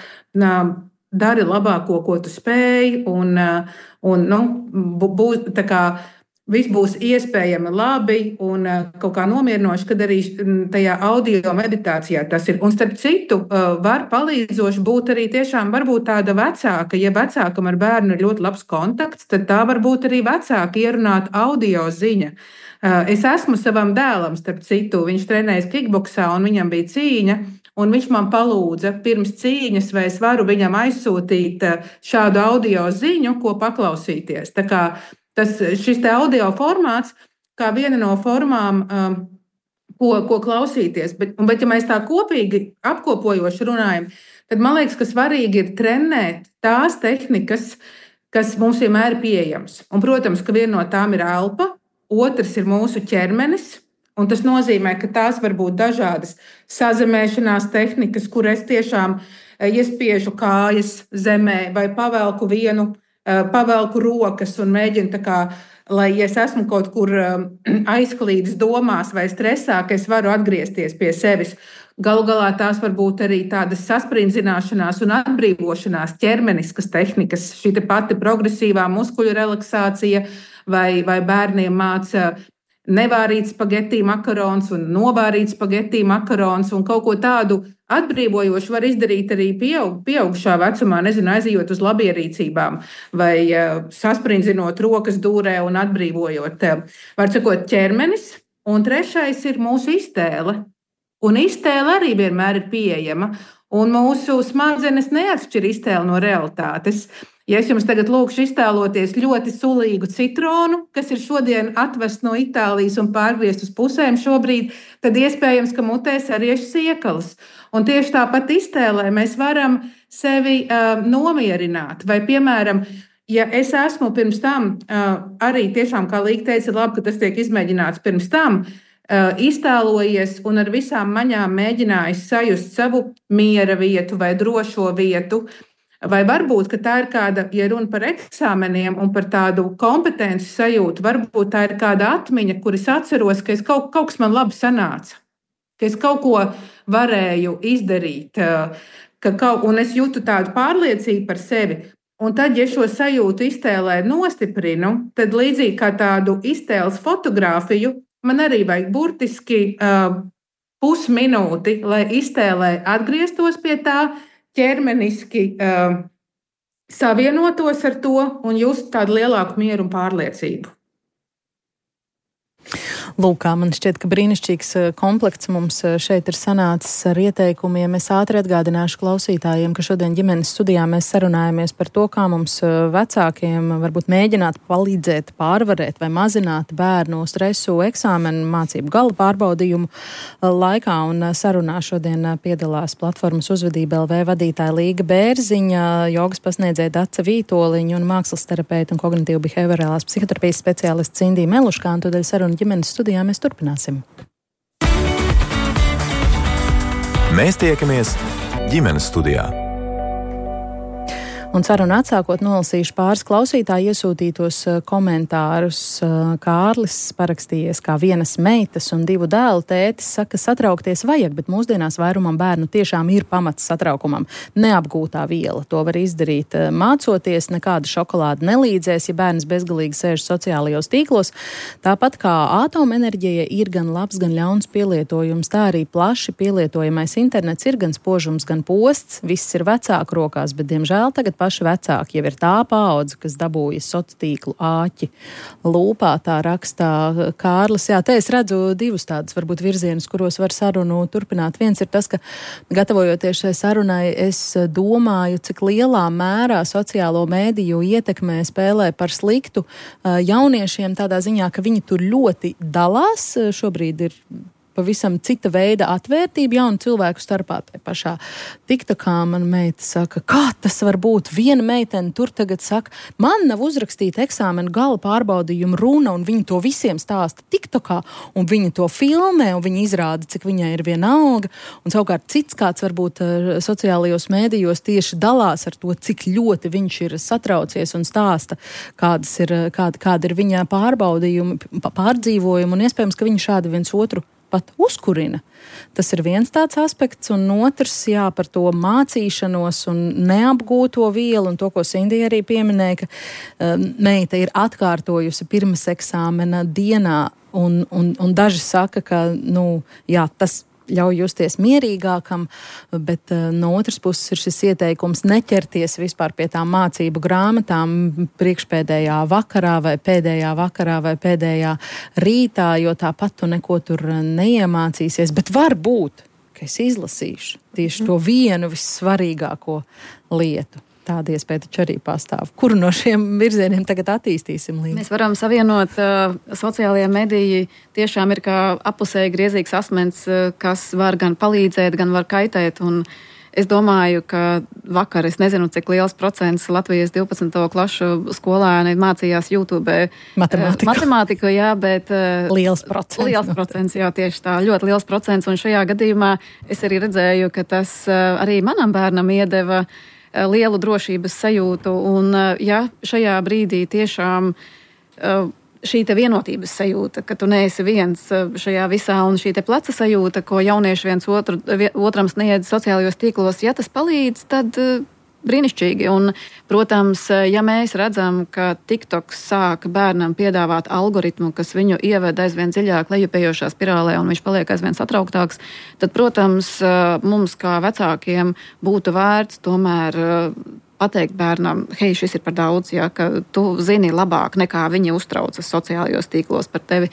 dari labāko, ko tu spēj, un viss būs iespējami labi un kaut kā nomierinoši, kad arī tajā audio meditācijā tas ir. Un starp citu, var palīdzoši būt arī tiešām varbūt tāda vecāka, ja vecākam ar bērnu ir ļoti labs kontakts, tad tā varbūt arī vecāka ierunāt audio ziņa. Es esmu savam dēlam, starp citu, viņš trenējas kickboksā un viņam bija cīņa, un viņš man palūdza pirms cīņas, vai es varu viņam aizsūtīt šādu audio ziņu, ko paklausīties. Tā kā šis te audio formāts, kā viena no formām, ko klausīties, bet ja mēs tā kopīgi apkopojoši runājam, tad man liekas, ka svarīgi ir trenēt tās tehnikas, kas mums vienmēr ir pieejamas. Un, protams, ka viena no tām ir elpa, otrs ir mūsu ķermenis, un tas nozīmē, ka tās var būt dažādas sazemēšanās tehnikas, kur es tiešām iespiežu kājas zemē vai pavelku rokas un mēģinu lai ja es esmu kaut kur aizklīdis domās vai stresā, ka es varu atgriezties pie sevis. Galu galā tās var būt arī tādas sasprindzināšanās un atbrīvošanās ķermeniskas tehnikas, šī pati progresīvā muskuļu relaksācija vai bērniem māca nevārīt spagetī makarons un novārīt spagetī makarons un kaut ko tādu atbrīvojošu var izdarīt arī pieaugušā vecumā, aizejot uz labierīcībām vai sasprindzinot rokas dūrē un atbrīvojot, var sakot, ķermenis. Un trešais ir mūsu iztēle. Un iztēle arī vienmēr ir pieejama, un mūsu smadzenes neatšķir iztēli no realitātes. Ja es jums tagad lūkšu iztēloties ļoti sulīgu citronu, kas ir šodien atvests no Itālijas un pārgriezt uz pusēm šobrīd, tad iespējams, ka mutē sariež siekalas. Un tieši tāpat iztēlē mēs varam sevi nomierināt. Vai, piemēram, ja es esmu pirms tam, arī tiešām, kā Līga teica, labi, ka tas tiek izmēģināts pirms tam, iztēlojies un ar visām maņām mēģinājis sajust savu miera vietu vai drošo vietu, vai varbūt, ka tā ir kāda, ja runa par eksāmeniem un par tādu kompetenci sajūtu, varbūt tā ir kāda atmiņa, kur es atceros, ka kaut kas man labi sanāca, ka es kaut ko varēju izdarīt, un es jūtu tādu pārliecību par sevi. Un tad, ja šo sajūtu iztēlē nostiprinu, tad līdzīgi kā tādu iztēles fotogrāfiju, man arī vajag burtiski pusminūti, lai iztēlē atgrieztos pie tā, ķermeniski savienotos ar to un just tādu lielāku mieru un pārliecību. Lūk, man šķiet, ka brīnišķīgs komplekts mums šeit ir sanācis ar ieteikumiem. Es ātri atgādināšu klausītājiem, ka šodien ģimenes studijā mēs sarunājamies par to, kā mums vecākiem varbūt mēģināt palīdzēt, pārvarēt vai mazināt bērnu stresu eksāmenu mācību gala pārbaudījumu laikā. Un sarunā šodien piedalās platformas Uzvedība LV vadītāja Līga Bērziņa, jogas pasniedzēja Dace Vītoliņa un mākslas terapeita un kognitīvu behaviorālās psihoterapijas speciālists Cindija Meluškā. Un tādēļ saruna ģimenes studijā mēs turpināsim. Mēs tiekamies ģimenes studijā. Un sarunu atsākot nolasīšu pāris klausītāju iesūtītos komentārus. Kārlis parakstījies kā vienas meitas un 2 dēlu tētis, saka, satraukties vajag, bet mūsdienās vairumam bērnu tiešām ir pamats satraukumam. Neapgūtā viela. To var izdarīt mācoties, nekāda šokolāde nelīdzēs, ja bērns bezgalīgi sēž sociālajos tīklos. Tāpat kā atomenerģija ir gan labs, gan ļauns pielietojums, tā arī plaši pielietojamais internets ir gan spožums, gan posts. Viss ir vecāku rokās, bet, diemžēl, tagad paši vecāki jau ir tā paudze, kas dabūja sociālo tīklu āķi lūpā, tā rakstā Kārlis. Jā, te es redzu 2 tādus varbūt virzienus, kuros var sarunu turpināt. Viens ir tas, ka gatavojoties šai sarunai, es domāju, cik lielā mērā sociālo mēdīju ietekmē spēlē par sliktu jauniešiem tādā ziņā, ka viņi tur ļoti dalās. Šobrīd ir pavisam cita veida atvērtība jaunu cilvēku starpā. Tā pašā TikTokā mana meita saka, kā tas var būt? Viena meitene tur tagad saka, man nav uzrakstīta eksāmena gala pārbaudījuma runa, un viņa to visiem stāsta TikTokā, un viņa to filmē, un viņa izrāda, cik viņai ir vienalga. Un savukārt cits kāds varbūt sociālajos mēdījos tieši dalās ar to, cik ļoti viņš ir satraucies un stāsta, kāda ir viņa pārbaudījumi, pārdzīvojumi, un iespējams, ka viņi šādi viens otru pat uzkurina. Tas ir viens tāds aspekts, un otrs, jā, par to mācīšanos un neapgūto vielu, un to, ko Sindija arī pieminēja, ka meita ir atkārtojusi pirms eksāmena dienā, un daži saka, ka, jā, tas ļauj justies mierīgākam, bet no otras puses ir šis ieteikums neķerties vispār pie tām mācību grāmatām priekšpēdējā vakarā vai pēdējā rītā, jo tāpat tu neko tur neiemācīsies, bet varbūt, ka es izlasīšu tieši to vienu vissvarīgāko lietu. Tāda iespēja taču arī pastāv. Kuru no šiem virzieniem tagad attīstīsim līdzi? Mēs varam savienot sociālajie mediji tiešām ir kā apusēji griezīgs asmens, kas var gan palīdzēt, gan var kaitēt. Un es domāju, ka vakar, es nezinu, cik liels procents Latvijas 12. klašu skolēni mācījās YouTube matemātiku, jā, bet liels procents, jā, tieši tā, ļoti liels procents. Un šajā gadījumā es arī redzēju, ka tas arī manam bērnam iedeva lielu drošības sajūtu, un ja šajā brīdī tiešām šī te vienotības sajūta, ka tu neesi viens šajā visā, un šī te pleca sajūta, ko jaunieši viens otram sniedz sociālajos tīklos, ja tas palīdz, tad brīnišķīgi. Un, protams, ja mēs redzam, ka TikToks sāk bērnam piedāvāt algoritmu, kas viņu ieved aizvien dziļāk lejupējošā spirālē, un viņš paliek aizvien satrauktāks, tad, protams, mums kā vecākiem būtu vērts tomēr pateikt bērnam, hei, šis ir par daudz, ja, ka tu zini labāk nekā viņi uztraucas sociālajos tīklos par tevi.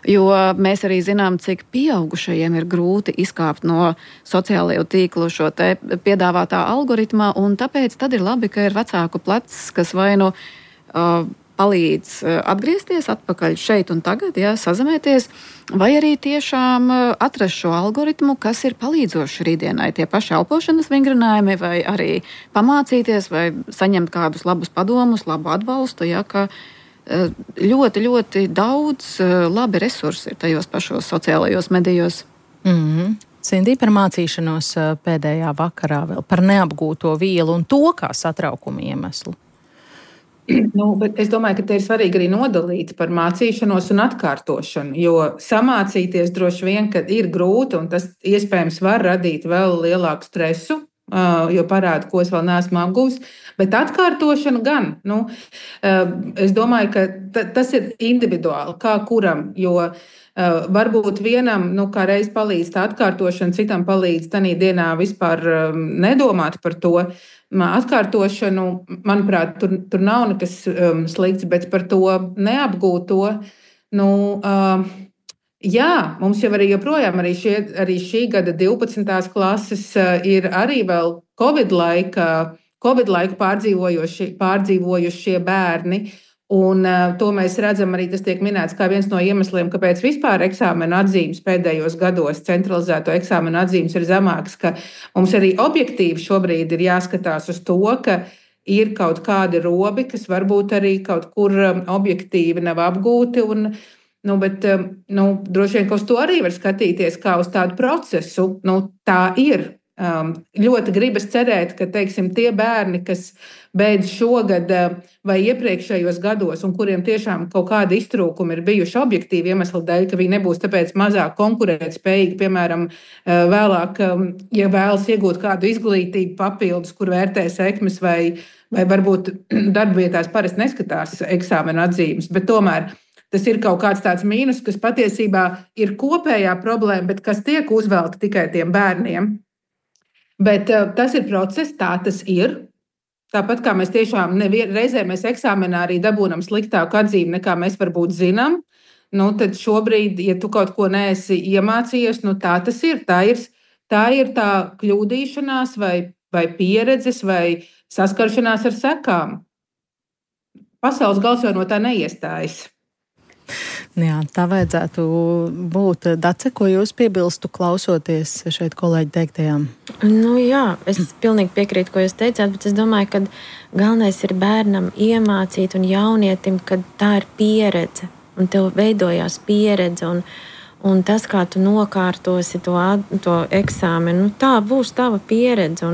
Jo mēs arī zinām, cik pieaugušajiem ir grūti izkāpt no sociālajo tīklu šo te piedāvātā algoritmā, un tāpēc tad ir labi, ka ir vecāku plecs, kas vai nu palīdz atgriezties atpakaļ šeit un tagad, ja, sazemēties, vai arī tiešām atrast šo algoritmu, kas ir palīdzoši rītdienai, tie paši elpošanas vingrinājumi, vai arī pamācīties, vai saņemt kādus labus padomus, labu atbalstu, ja, ka ļoti, ļoti daudz labi resursi ir tajos pašos sociālajos medijos. Sindija, par mācīšanos pēdējā vakarā vēl, par neapgūto vielu un to kā satraukumu iemeslu. Bet es domāju, ka te ir svarīgi arī nodalīt par mācīšanos un atkārtošanu, jo samācīties droši vien, ka ir grūti, un tas iespējams var radīt vēl lielāku stresu, jo parāda, ko es vēl neesmu apgūs, bet atkārtošana gan. Es domāju, ka tas ir individuāli, kā kuram, jo varbūt vienam, kā reiz palīdz tā atkārtošana, citam palīdz tanī dienā vispār nedomāt par to. Atkārtošanu, manuprāt, tur nav nekas slikts, bet par to neapgūto, jā, mums jau arī joprojām arī šī gada 12. klases ir arī vēl Covid laiku pārdzīvojušie bērni. Un to mēs redzam arī, tas tiek minēts kā viens no iemesliem, kāpēc vispār eksāmena atzīmes pēdējos gados centralizēto eksāmena atzīmes ir zemākas, ka mums arī objektīvi šobrīd ir jāskatās uz to, ka ir kaut kādi robi, kas varbūt arī kaut kur objektīvi nav apgūti, bet droši vien, ka uz to arī var skatīties kā uz tādu procesu. Tā ir. Ļoti gribas cerēt, ka, teiksim, tie bērni, kas beidz šogad vai iepriekšējos gados, un kuriem tiešām kaut kādi iztrūkumi ir bijuši objektīvi iemesli dēļ, ka viņi nebūs tāpēc mazāk konkurētspējīgi, piemēram, vēlāk, ja vēlas iegūt kādu izglītību papildus, kur vērtē sekmes vai varbūt darbvietās parasti neskatās eksāmena atzīmes, bet tomēr tas ir kaut kāds tāds mīnus, kas patiesībā ir kopējā problēma, bet kas tiek uzvelta tikai tiem bērniem. Bet tas ir process, tā tas ir. Tāpat kā mēs tiešām reizē mēs eksāmenā arī dabūnam sliktāku atzīmi, nekā mēs varbūt zinām, tad šobrīd, ja tu kaut ko neesi iemācījies, tā tas ir. Tā ir tā kļūdīšanās vai pieredzes vai saskaršanās ar sekām. Pasaules gals jau no tā neiestājas. Jā, tā vajadzētu būt. Dace, ko jūs piebilstu, klausoties šeit kolēģi teiktajām? Jā, es pilnīgi piekrītu, ko jūs teicāt, bet es domāju, ka galvenais ir bērnam iemācīt un jaunietim, ka tā ir pieredze, un tev veidojās pieredze, un tas, kā tu nokārtosi to eksāmenu, tā būs tava pieredze,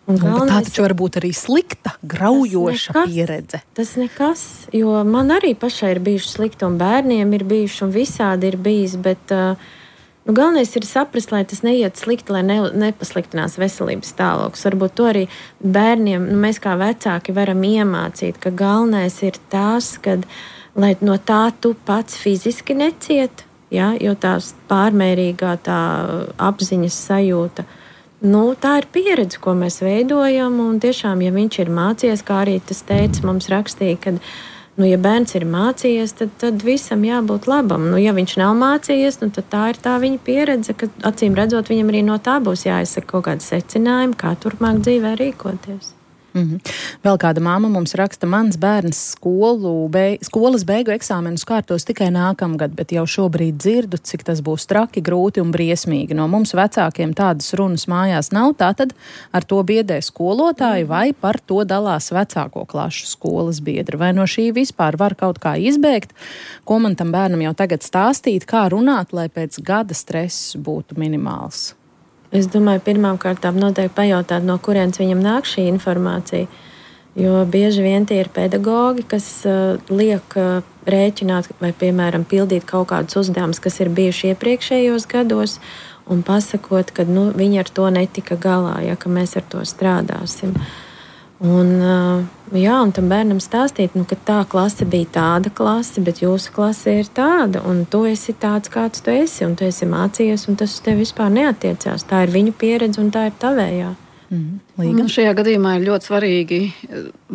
tā taču var būt arī slikta, graujoša pieredze. Tas nekas, jo man arī pašai ir bijuši slikti, un bērniem ir bijuši, un visādi ir bijis, bet galvenais ir saprast, lai tas neiet slikti, lai nepasliktinās veselības stāvoklis. Varbūt to arī bērniem, mēs kā vecāki varam iemācīt, ka galvenais ir tas, kad, lai no tā tu pats fiziski neciet, jo tās pārmērīgā tā apziņas sajūta, tā ir pieredze, ko mēs veidojam, un tiešām, ja viņš ir mācījies, kā arī tas teica, mums rakstīja, ka, ja bērns ir mācījies, tad visam jābūt labam. Ja viņš nav mācījies, tad tā ir tā viņa pieredze, ka acīm redzot, viņam arī no tā būs jāizsaka kaut kādi secinājumi, kā turpmāk dzīvē rīkoties. Vēl kāda māma mums raksta, mans bērns skolas beigu eksāmenus kārtos tikai nākamgad, bet jau šobrīd dzirdu, cik tas būs traki, grūti un briesmīgi. No mums vecākiem tādas runas mājās nav, tātad ar to biedē skolotāji vai par to dalās vecāko klašu skolas biedri. Vai no šī vispār var kaut kā izbēgt? Ko man tam bērnam jau tagad stāstīt, kā runāt, lai pēc gada stress būtu minimāls? Es domāju, pirmām kārtām noteikti pajautāt, no kurienes viņam nāk šī informācija. Jo bieži vien tie ir pedagogi, kas liek rēķināt vai, piemēram, pildīt kaut kādus uzdevumus, kas ir bijuši iepriekšējos gados, un pasakot, ka viņi ar to netika galā, ka mēs ar to strādāsim. Un tam bērnam stāstīt, ka tā klase bija tāda klase, bet jūsu klase ir tāda, un tu esi tāds, kāds tu esi, un tu esi mācījies, un tas uz tevi vispār neatiecās. Tā ir viņu pieredze, un tā ir tavējā. Šajā gadījumā ir ļoti svarīgi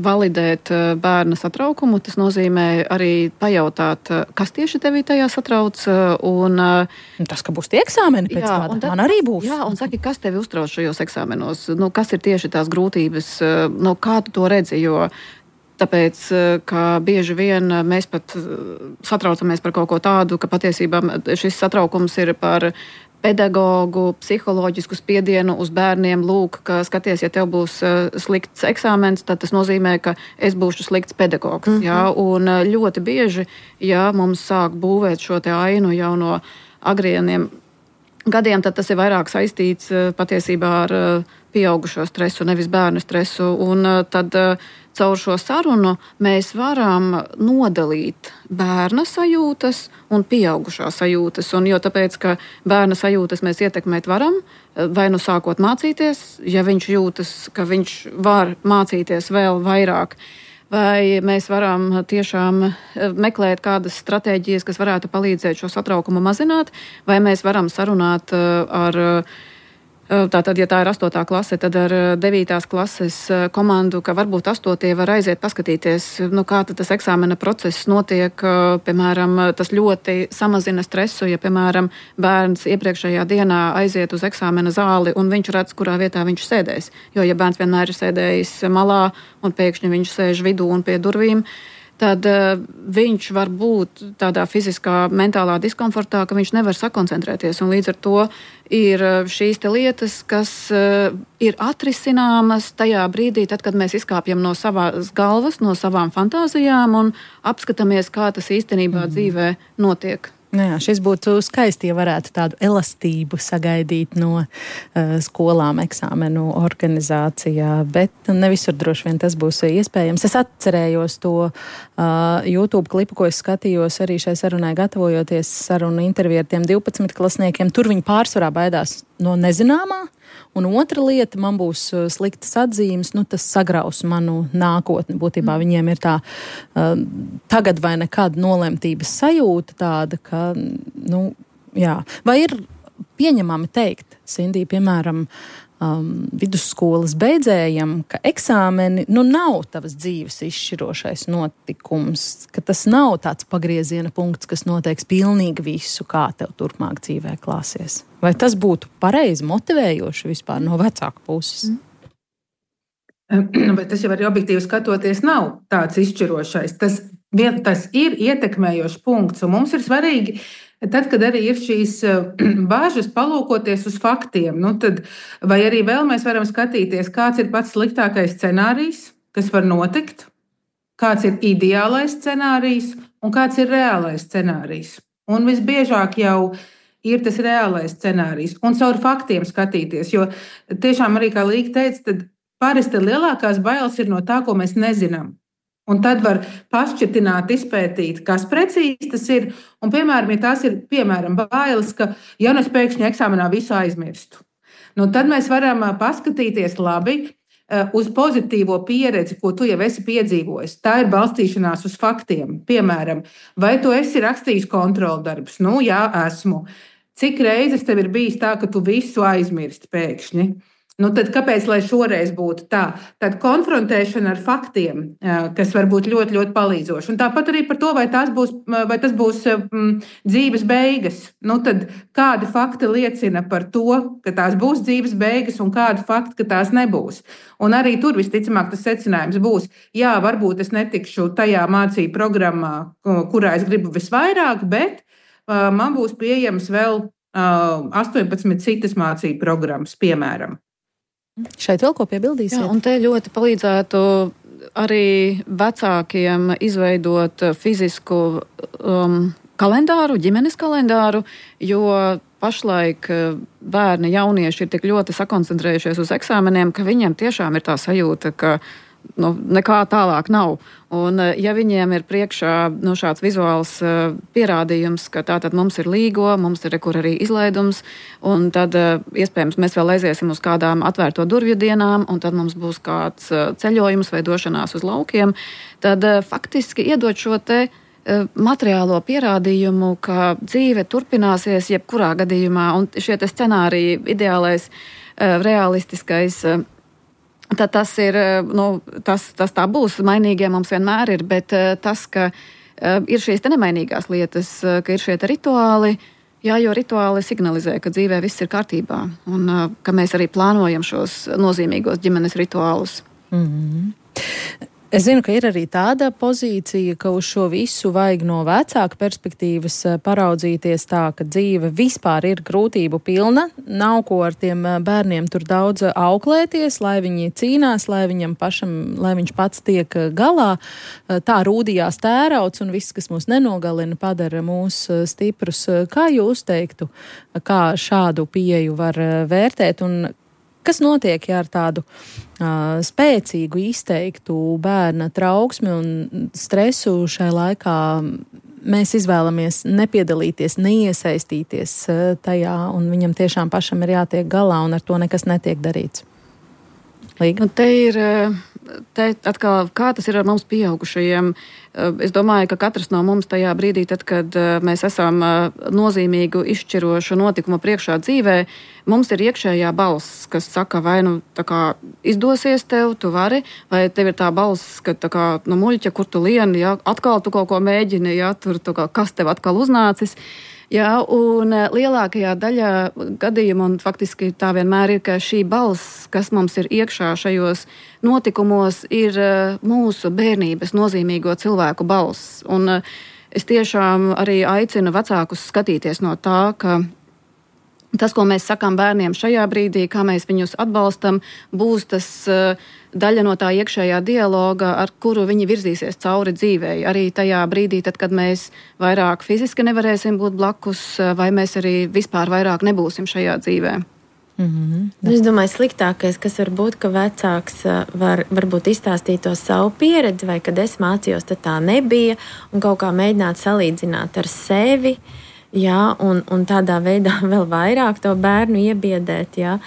validēt bērna satraukumu. Tas nozīmē arī pajautāt, kas tieši tevi tajā satrauc. Tas, ka būs tie eksāmeni pēc kāda, man arī būs. Jā, un saki, kas tevi uztrauc šajos eksāmenos? Kas ir tieši tās grūtības? Kā tu to redzi? Tāpēc, ka bieži vien mēs pat satraucamies par kaut ko tādu, ka patiesībā šis satraukums ir par pedagogu, psiholoģisku spiedienu uz bērniem. Lūk, ka skaties, ja tev būs slikts eksāmens, tad tas nozīmē, ka es būšu slikts pedagogs. Un ļoti bieži, mums sāk būvēt šo te ainu jau no agrieniem gadiem, tad tas ir vairāk saistīts patiesībā ar pieaugušo stresu, nevis bērnu stresu. Un tad caur šo sarunu mēs varam nodalīt bērna sajūtas un pieaugušā sajūtas. Un tāpēc, ka bērna sajūtas mēs ietekmēt varam, vai sākot mācīties, ja viņš jūtas, ka viņš var mācīties vēl vairāk, vai mēs varam tiešām meklēt kādas stratēģijas, kas varētu palīdzēt šo satraukumu mazināt, vai mēs varam sarunāt ar Tātad, ja tā ir 8. klase, tad ar 9. klases komandu, ka varbūt 8. var aiziet paskatīties, kā tas eksāmena process notiek. Piemēram, tas ļoti samazina stresu, ja, piemēram, bērns iepriekšējā dienā aiziet uz eksāmena zāli un viņš redz, kurā vietā viņš sēdēs. Jo, ja bērns vienmēr ir sēdējis malā un pēkšņi viņš sēž vidū un pie durvīm, tad viņš var būt tādā fiziskā, mentālā diskomfortā, ka viņš nevar sakoncentrēties. Un līdz ar to ir šīs te lietas, kas ir atrisināmas tajā brīdī, tad, kad mēs izkāpjam no savas galvas, no savām fantāzijām un apskatāmies, kā tas īstenībā dzīvē notiek. Jā, šis būtu skaisti, ja varētu tādu elastību sagaidīt no skolām eksāmenu organizācijā, bet ne visur droši vien tas būs iespējams. Es atcerējos to YouTube klipu, ko es skatījos arī šai sarunai gatavojoties sarunu interviju ar tiem 12 klasniekiem. Tur viņi pārsvarā baidās no nezināmā. Un otra lieta, man būs sliktas atzīmes, tas sagraus manu nākotni. Būtībā viņiem ir tā tagad vai nekad nolemtības sajūta tāda, ka, jā. Vai ir pieņemami teikt, Sindī, piemēram, vidusskolas beidzējam, ka eksāmeni nav tavas dzīves izšķirošais notikums, ka tas nav tāds pagrieziena punkts, kas noteiks pilnīgi visu, kā tev turpmāk dzīvē klāsies? Vai tas būtu pareizi, motivējoši vispār no vecāku puses? Bet tas jau arī objektīvi skatoties nav tāds izšķirošais. Tas ir ietekmējošs punkts, un mums ir svarīgi, tad, kad arī ir šīs bāžas palūkoties uz faktiem, tad vai arī vēl mēs varam skatīties, kāds ir pats sliktākais scenārijs, kas var notikt, kāds ir ideālais scenārijs un kāds ir reālais scenārijs. Un visbiežāk jau ir tas reālais scenārijs un caur faktiem skatīties, jo tiešām arī, kā Līga teica, tad parasti lielākās bailes ir no tā, ko mēs nezinām. Un tad var pašķirtināt, izpētīt, kas precīzi tas ir. Un, piemēram, ja tās ir bailes, ka ja es pēkšņi eksāmenā visu aizmirstu, tad mēs varam paskatīties labi uz pozitīvo pieredzi, ko tu jau esi piedzīvojis. Tā ir balstīšanās uz faktiem. Piemēram, vai tu esi rakstījis kontroldarbus? Jā, esmu. Cik reizes tev ir bijis tā, ka tu visu aizmirsti pēkšņi? Tad kāpēc, lai šoreiz būtu tā? Tad konfrontēšana ar faktiem, kas var būt ļoti, ļoti palīdzoši. Un tāpat arī par to, vai tas būs dzīves beigas. Tad kādi fakti liecina par to, ka tās būs dzīves beigas un kādi fakti, ka tās nebūs. Un arī tur visticamāk tas secinājums būs, jā, varbūt es netikšu tajā mācību programmā, kurā es gribu visvairāk, bet man būs pieejams vēl 18 citas mācību programmas, piemēram. Šeit vēl ko piebildīsiet? Jā, un te ļoti palīdzētu arī vecākiem izveidot fizisku kalendāru, ģimenes kalendāru, jo pašlaik bērni, jaunieši ir tik ļoti sakoncentrējušies uz eksāmeniem, ka viņiem tiešām ir tā sajūta, ka nekā tālāk nav. Un ja viņiem ir priekšā šāds vizuāls pierādījums, ka tātad mums ir līgo, mums ir kur arī izlaidums, un tad iespējams mēs vēl aiziesim uz kādām atvērto durvju dienām, un tad mums būs kāds ceļojums vai došanās uz laukiem, tad faktiski iedot šo te materiālo pierādījumu, ka dzīve turpināsies jebkurā gadījumā, un šie te scenāriji, ideālais, realistiskais, tad tas ir, tas tā būs, mainīgie mums vienmēr ir, bet tas, ka ir šīs te nemainīgās lietas, ka ir šie te rituāli, jā, jo rituāli signalizē, ka dzīvē viss ir kārtībā, un ka mēs arī plānojam šos nozīmīgos ģimenes rituālus. Mm-hmm. Es zinu, ka ir arī tāda pozīcija, ka uz šo visu vajag no vecāka perspektīvas paraudzīties tā, ka dzīve vispār ir grūtību pilna, nav ko ar tiem bērniem tur daudz auklēties, lai viņi cīnās, lai viņš pats tiek galā. Tā rūdījās tērauds un viss, kas mūs nenogalina, padara mūs stiprus. Kā jūs teiktu, kā šādu pieeju var vērtēt un kas notiek, ja ar tādu spēcīgu, izteiktu bērna trauksmi un stresu šai laikā mēs izvēlamies nepiedalīties, neiesaistīties tajā, un viņam tiešām pašam ir jātiek galā, un ar to nekas netiek darīts? Līga? Te atkal, kā tas ir ar mums pieaugušajiem? Es domāju, ka katrs no mums tajā brīdī, tad, kad mēs esam nozīmīgu, izšķirošu notikumu priekšā dzīvē, mums ir iekšējā balss, kas saka, vai tā kā izdosies tev, tu vari, vai tev ir tā balss, ka tā kā muļķa, kur tu lieni, ja, atkal tu kaut ko mēģini, ja, tur tā kā, kas tev atkal uznācis. Jā, un lielākajā daļā gadījumu, un faktiski tā vienmēr ir, ka šī balss, kas mums ir iekšā šajos notikumos, ir mūsu bērnības nozīmīgo cilvēku balss. Un es tiešām arī aicinu vecākus skatīties no tā, ka tas, ko mēs sakām bērniem šajā brīdī, kā mēs viņus atbalstam, būs tas daļa no tā iekšējā dialoga, ar kuru viņi virzīsies cauri dzīvei. Arī tajā brīdī, tad, kad mēs vairāk fiziski nevarēsim būt blakus, vai mēs arī vispār vairāk nebūsim šajā dzīvē. Es domāju, sliktākais, kas var būt, ka vecāks varbūt izstāstīt to savu pieredzi, vai kad es mācījos, tad tā nebija, un kaut kā mēģināt salīdzināt ar sevi, jā, un tādā veidā vēl vairāk to bērnu iebiedēt, jā.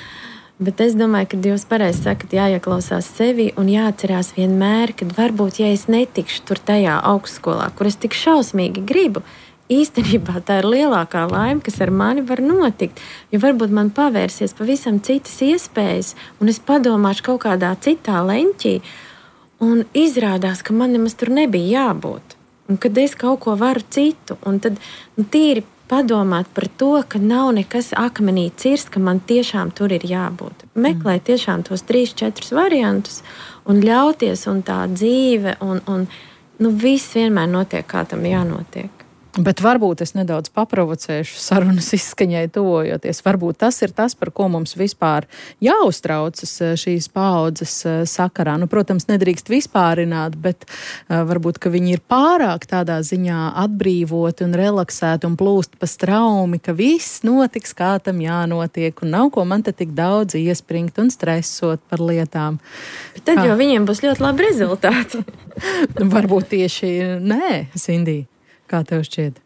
Bet es domāju, ka jūs pareizi sakat, jāieklausās sevi un jāatcerās vienmēr, kad varbūt, ja es netikšu tur tajā augstskolā, kur es tik šausmīgi gribu, īstenībā tā ir lielākā laime, kas ar mani var notikt. Jo varbūt man pavērsies pavisam citas iespējas, un es padomāšu kaut kādā citā leņķī, un izrādās, ka man nemaz tur nebija jābūt. Un kad es kaut ko varu citu, un tad tīri padomāt par to, ka nav nekas akmenī cirst, ka man tiešām tur ir jābūt. Meklēt tiešām tos 3-4 variantus un ļauties, un tā dzīve, un viss vienmēr notiek, kā tam jānotiek. Bet varbūt es nedaudz paprovocēšu sarunas izskaņai tuvojoties. Varbūt tas ir tas, par ko mums vispār jāuztraucas šīs paaudzes sakarā. Protams, nedrīkst vispārināt, bet varbūt, ka viņi ir pārāk tādā ziņā atbrīvoti un relaksēti un plūst pa straumi, ka viss notiks, kā tam jānotiek, un nav ko man te tik daudz iespringt un stresot par lietām. Bet tad jau viņiem būs ļoti labi rezultāti. Varbūt tieši nē, Sindija. Kā tev šķiet?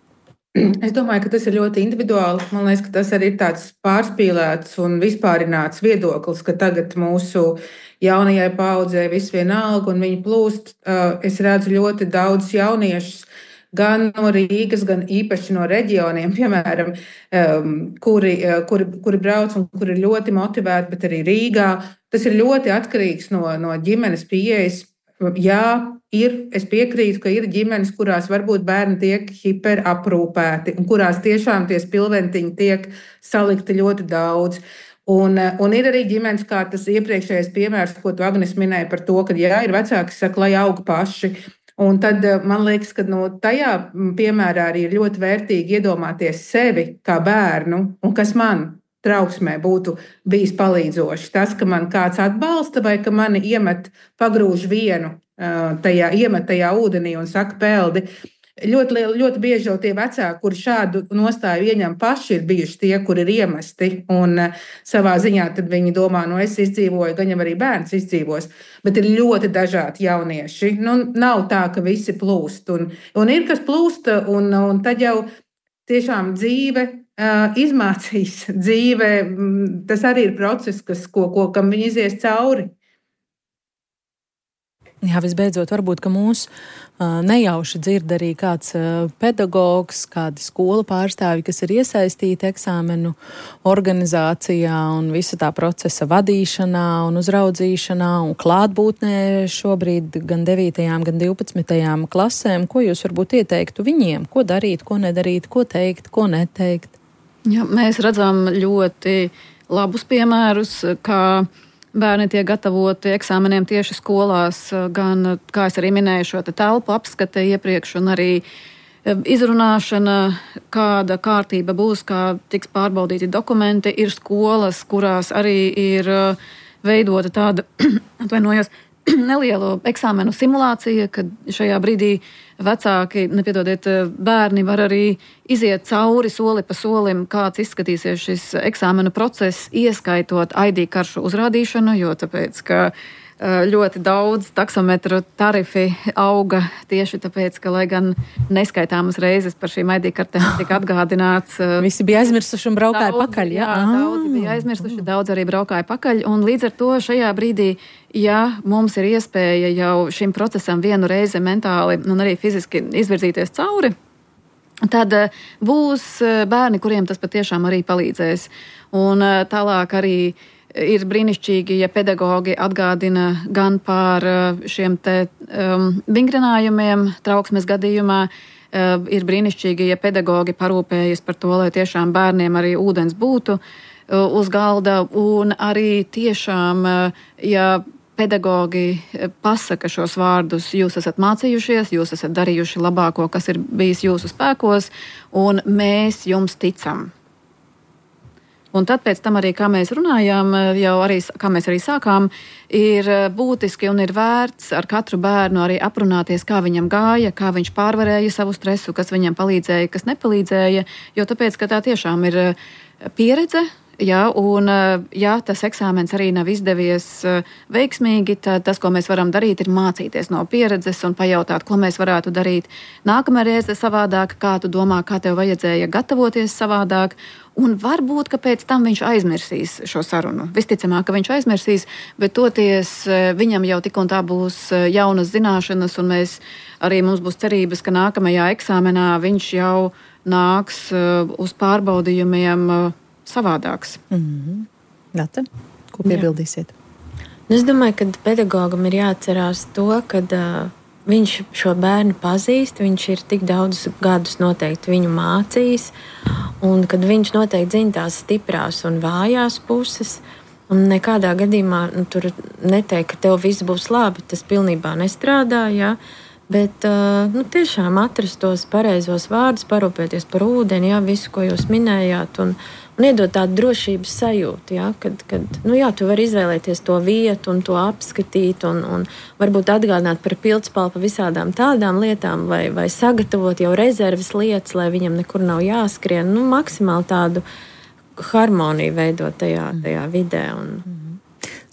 Es domāju, ka tas ir ļoti individuāli. Man liekas, ka tas arī ir tāds pārspīlēts un vispārināts viedoklis, ka tagad mūsu jaunajai paaudzei viss vienalga un viņi plūst. Es redzu ļoti daudz jauniešus, gan no Rīgas, gan īpaši no reģioniem, piemēram, kuri brauc un kuri ir ļoti motivēti, bet arī Rīgā. Tas ir ļoti atkarīgs no ģimenes pieejas. Jā, es piekrītu, ka ir ģimenes, kurās varbūt bērni tiek hiperaprūpēti un kurās tiešām tie spilventiņi tiek salikti ļoti daudz. Un ir arī ģimenes, kā tas iepriekšējais piemērs, ko tu, Agnes, minēji par to, ka jā, ir vecāki, kas saka, lai aug paši. Un tad man liekas, ka tajā piemērā arī ir ļoti vērtīgi iedomāties sevi kā bērnu un kas man trauksmē būtu bijis palīdzoši. Tas, ka man kāds atbalsta vai ka mani pagrūž vienu tajā ūdenī un saka peldi. Ļoti bieži jau tie vecāki, kuri šādu nostāju ieņem paši, ir bijuši tie, kuri ir iemesti. Un savā ziņā tad viņi domā, es izdzīvoju, gan jau arī bērns izdzīvos. Bet ir ļoti dažādi jaunieši. Nav tā, ka visi plūst. Un ir, kas plūsta, un tad jau tiešām dzīve izmācīs. Dzīve, tas arī ir process, kam viņi izies cauri. Jā, visbeidzot, varbūt, ka mūs nejauši dzird arī kāds pedagogs, kādi skolu pārstāvji, kas ir iesaistīti eksāmenu organizācijā un visa tā procesa vadīšanā un uzraudzīšanā un klātbūtnē šobrīd gan 9. gan 12. klasēm. Ko jūs varbūt ieteiktu viņiem? Ko darīt, ko nedarīt, ko teikt, ko neteikt? Jā, mēs redzam ļoti labus piemērus, kā bērni tiek gatavoti eksāmeniem tieši skolās, gan, kā es arī minēju, šo telpu apskate iepriekš un arī izrunāšana, kāda kārtība būs, kā tiks pārbaudīti dokumenti. Ir skolas, kurās arī ir veidota tāda, nelielu eksāmenu simulācija, kad šajā brīdī vecāki, bērni var arī iziet cauri soli pa solim, kāds izskatīsies šis eksāmenu process, ieskaitot ID karšu uzrādīšanu, jo tāpēc, ka ļoti daudz taksometru tarifi auga tieši tāpēc, ka, lai gan neskaitāmas reizes par šīm ID kartēm tika atgādināts. Visi bija aizmirsuši un braukāja pakaļ. Jā, daudzi bija aizmirsuši, daudz arī braukāja pakaļ. Un līdz ar to šajā brīdī, ja mums ir iespēja jau šim procesam vienu reizi mentāli un arī fiziski izvirzīties cauri, tad būs bērni, kuriem tas patiešām arī palīdzēs. Un tālāk arī ir brīnišķīgi, ja pedagogi atgādina gan par šiem te vingrinājumiem trauksmes gadījumā. Ir brīnišķīgi, ja pedagogi parūpējas par to, lai tiešām bērniem arī ūdens būtu uz galda. Un arī tiešām, ja pedagogi pasaka šos vārdus, jūs esat mācījušies, jūs esat darījuši labāko, kas ir bijis jūsu spēkos, un mēs jums ticam. Un tad pēc tam arī, kā mēs runājām, kā mēs arī sākām, ir būtiski un ir vērts ar katru bērnu arī aprunāties, kā viņam gāja, kā viņš pārvarēja savu stresu, kas viņam palīdzēja, kas nepalīdzēja, jo tāpēc, ka tā tiešām ir pieredze. Jā, un ja tas eksāmens arī nav izdevies veiksmīgi, tad tas, ko mēs varam darīt, ir mācīties no pieredzes un pajautāt, ko mēs varētu darīt nākamā reize savādāk, kā tu domā, kā tev vajadzēja gatavoties savādāk, un varbūt, ka pēc tam viņš aizmirsīs šo sarunu. Visticamāk, ka viņš aizmirsīs, bet toties viņam jau tik un tā būs jaunas zināšanas, un mums būs cerības, ka nākamajā eksāmenā viņš jau nāks uz pārbaudījumiem savādāks. Gata, ko piebildīsiet? Es domāju, ka pedagogam ir jāatcerās to, ka viņš šo bērnu pazīst, viņš ir tik daudz gadus noteikti viņu mācījis, un kad viņš noteikti zina tās stiprās un vājās puses, un nekādā gadījumā tur neteikt, ka tev viss būs labi, tas pilnībā nestrādā, jā. Bet tiešām atrast tos pareizos vārdus, parūpēties par ūdeni, jā, visu, ko jūs minējāt, un iedot tādu drošības sajūtu, jā, kad tu vari izvēlēties to vietu un to apskatīt, un varbūt atgādināt par pildspalvu pa visādām tādām lietām, vai sagatavot jau rezerves lietas, lai viņam nekur nav jāskrien, maksimāli tādu harmoniju veidot tajā vidē.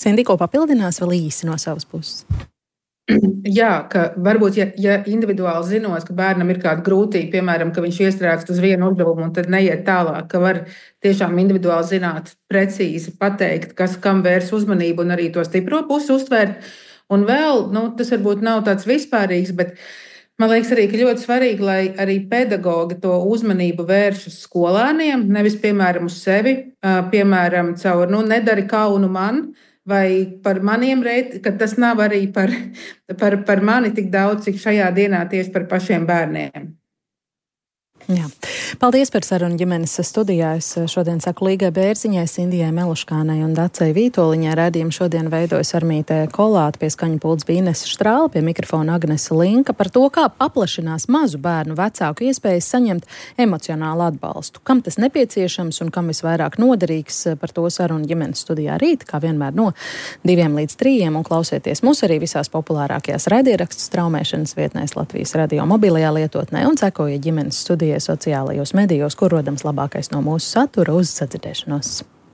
Sindi, ko papildinās vēl īsi no savas puses? Jā, ka varbūt, ja individuāli zinos, ka bērnam ir kāda grūtība, piemēram, ka viņš iestrēgst uz vienu uzdevumu un tad neiet tālāk, ka var tiešām individuāli zināt, precīzi pateikt, kas kam vērs uzmanību un arī to stipro pusi uztvērt. Un vēl, tas varbūt nav tāds vispārīgs, bet man liekas arī, ka ļoti svarīgi, lai arī pedagogi to uzmanību vērš uz skolāniem, nevis, piemēram, uz sevi, piemēram, caur, nedari kaunu man, vai par maniem reitiem, ka tas nav arī par mani tik daudz, cik šajā dienā tieši par pašiem bērniem. Jā. Paldies par sarunu ģimenes studijā. Es šodien saku Līgai Bērziņai, Sindijai Meluškānai un Dacei Vītoliņai. Raidījumu šodien veidojas Armīte Kolāte, pie skaņu pults bija Inese Štrāle, pie mikrofona Agnese Linka. Par to, kā paplašinās mazu bērnu vecāku iespējas saņemt emocionālu atbalstu. Kam tas nepieciešams un kam visvairāk noderīgs, par to sarunu ģimenes studijā rīt, kā vienmēr no 2 līdz 3, un klausieties mūs arī visās populārākajās raidierakstu straumēšanas vietnēs Latvijas radio mobilajā lietotnē un sekojiet ģimenes studijai sociālajos medijos, kur rodams labākais no mūsu satura. Uz sadzirdēšanos!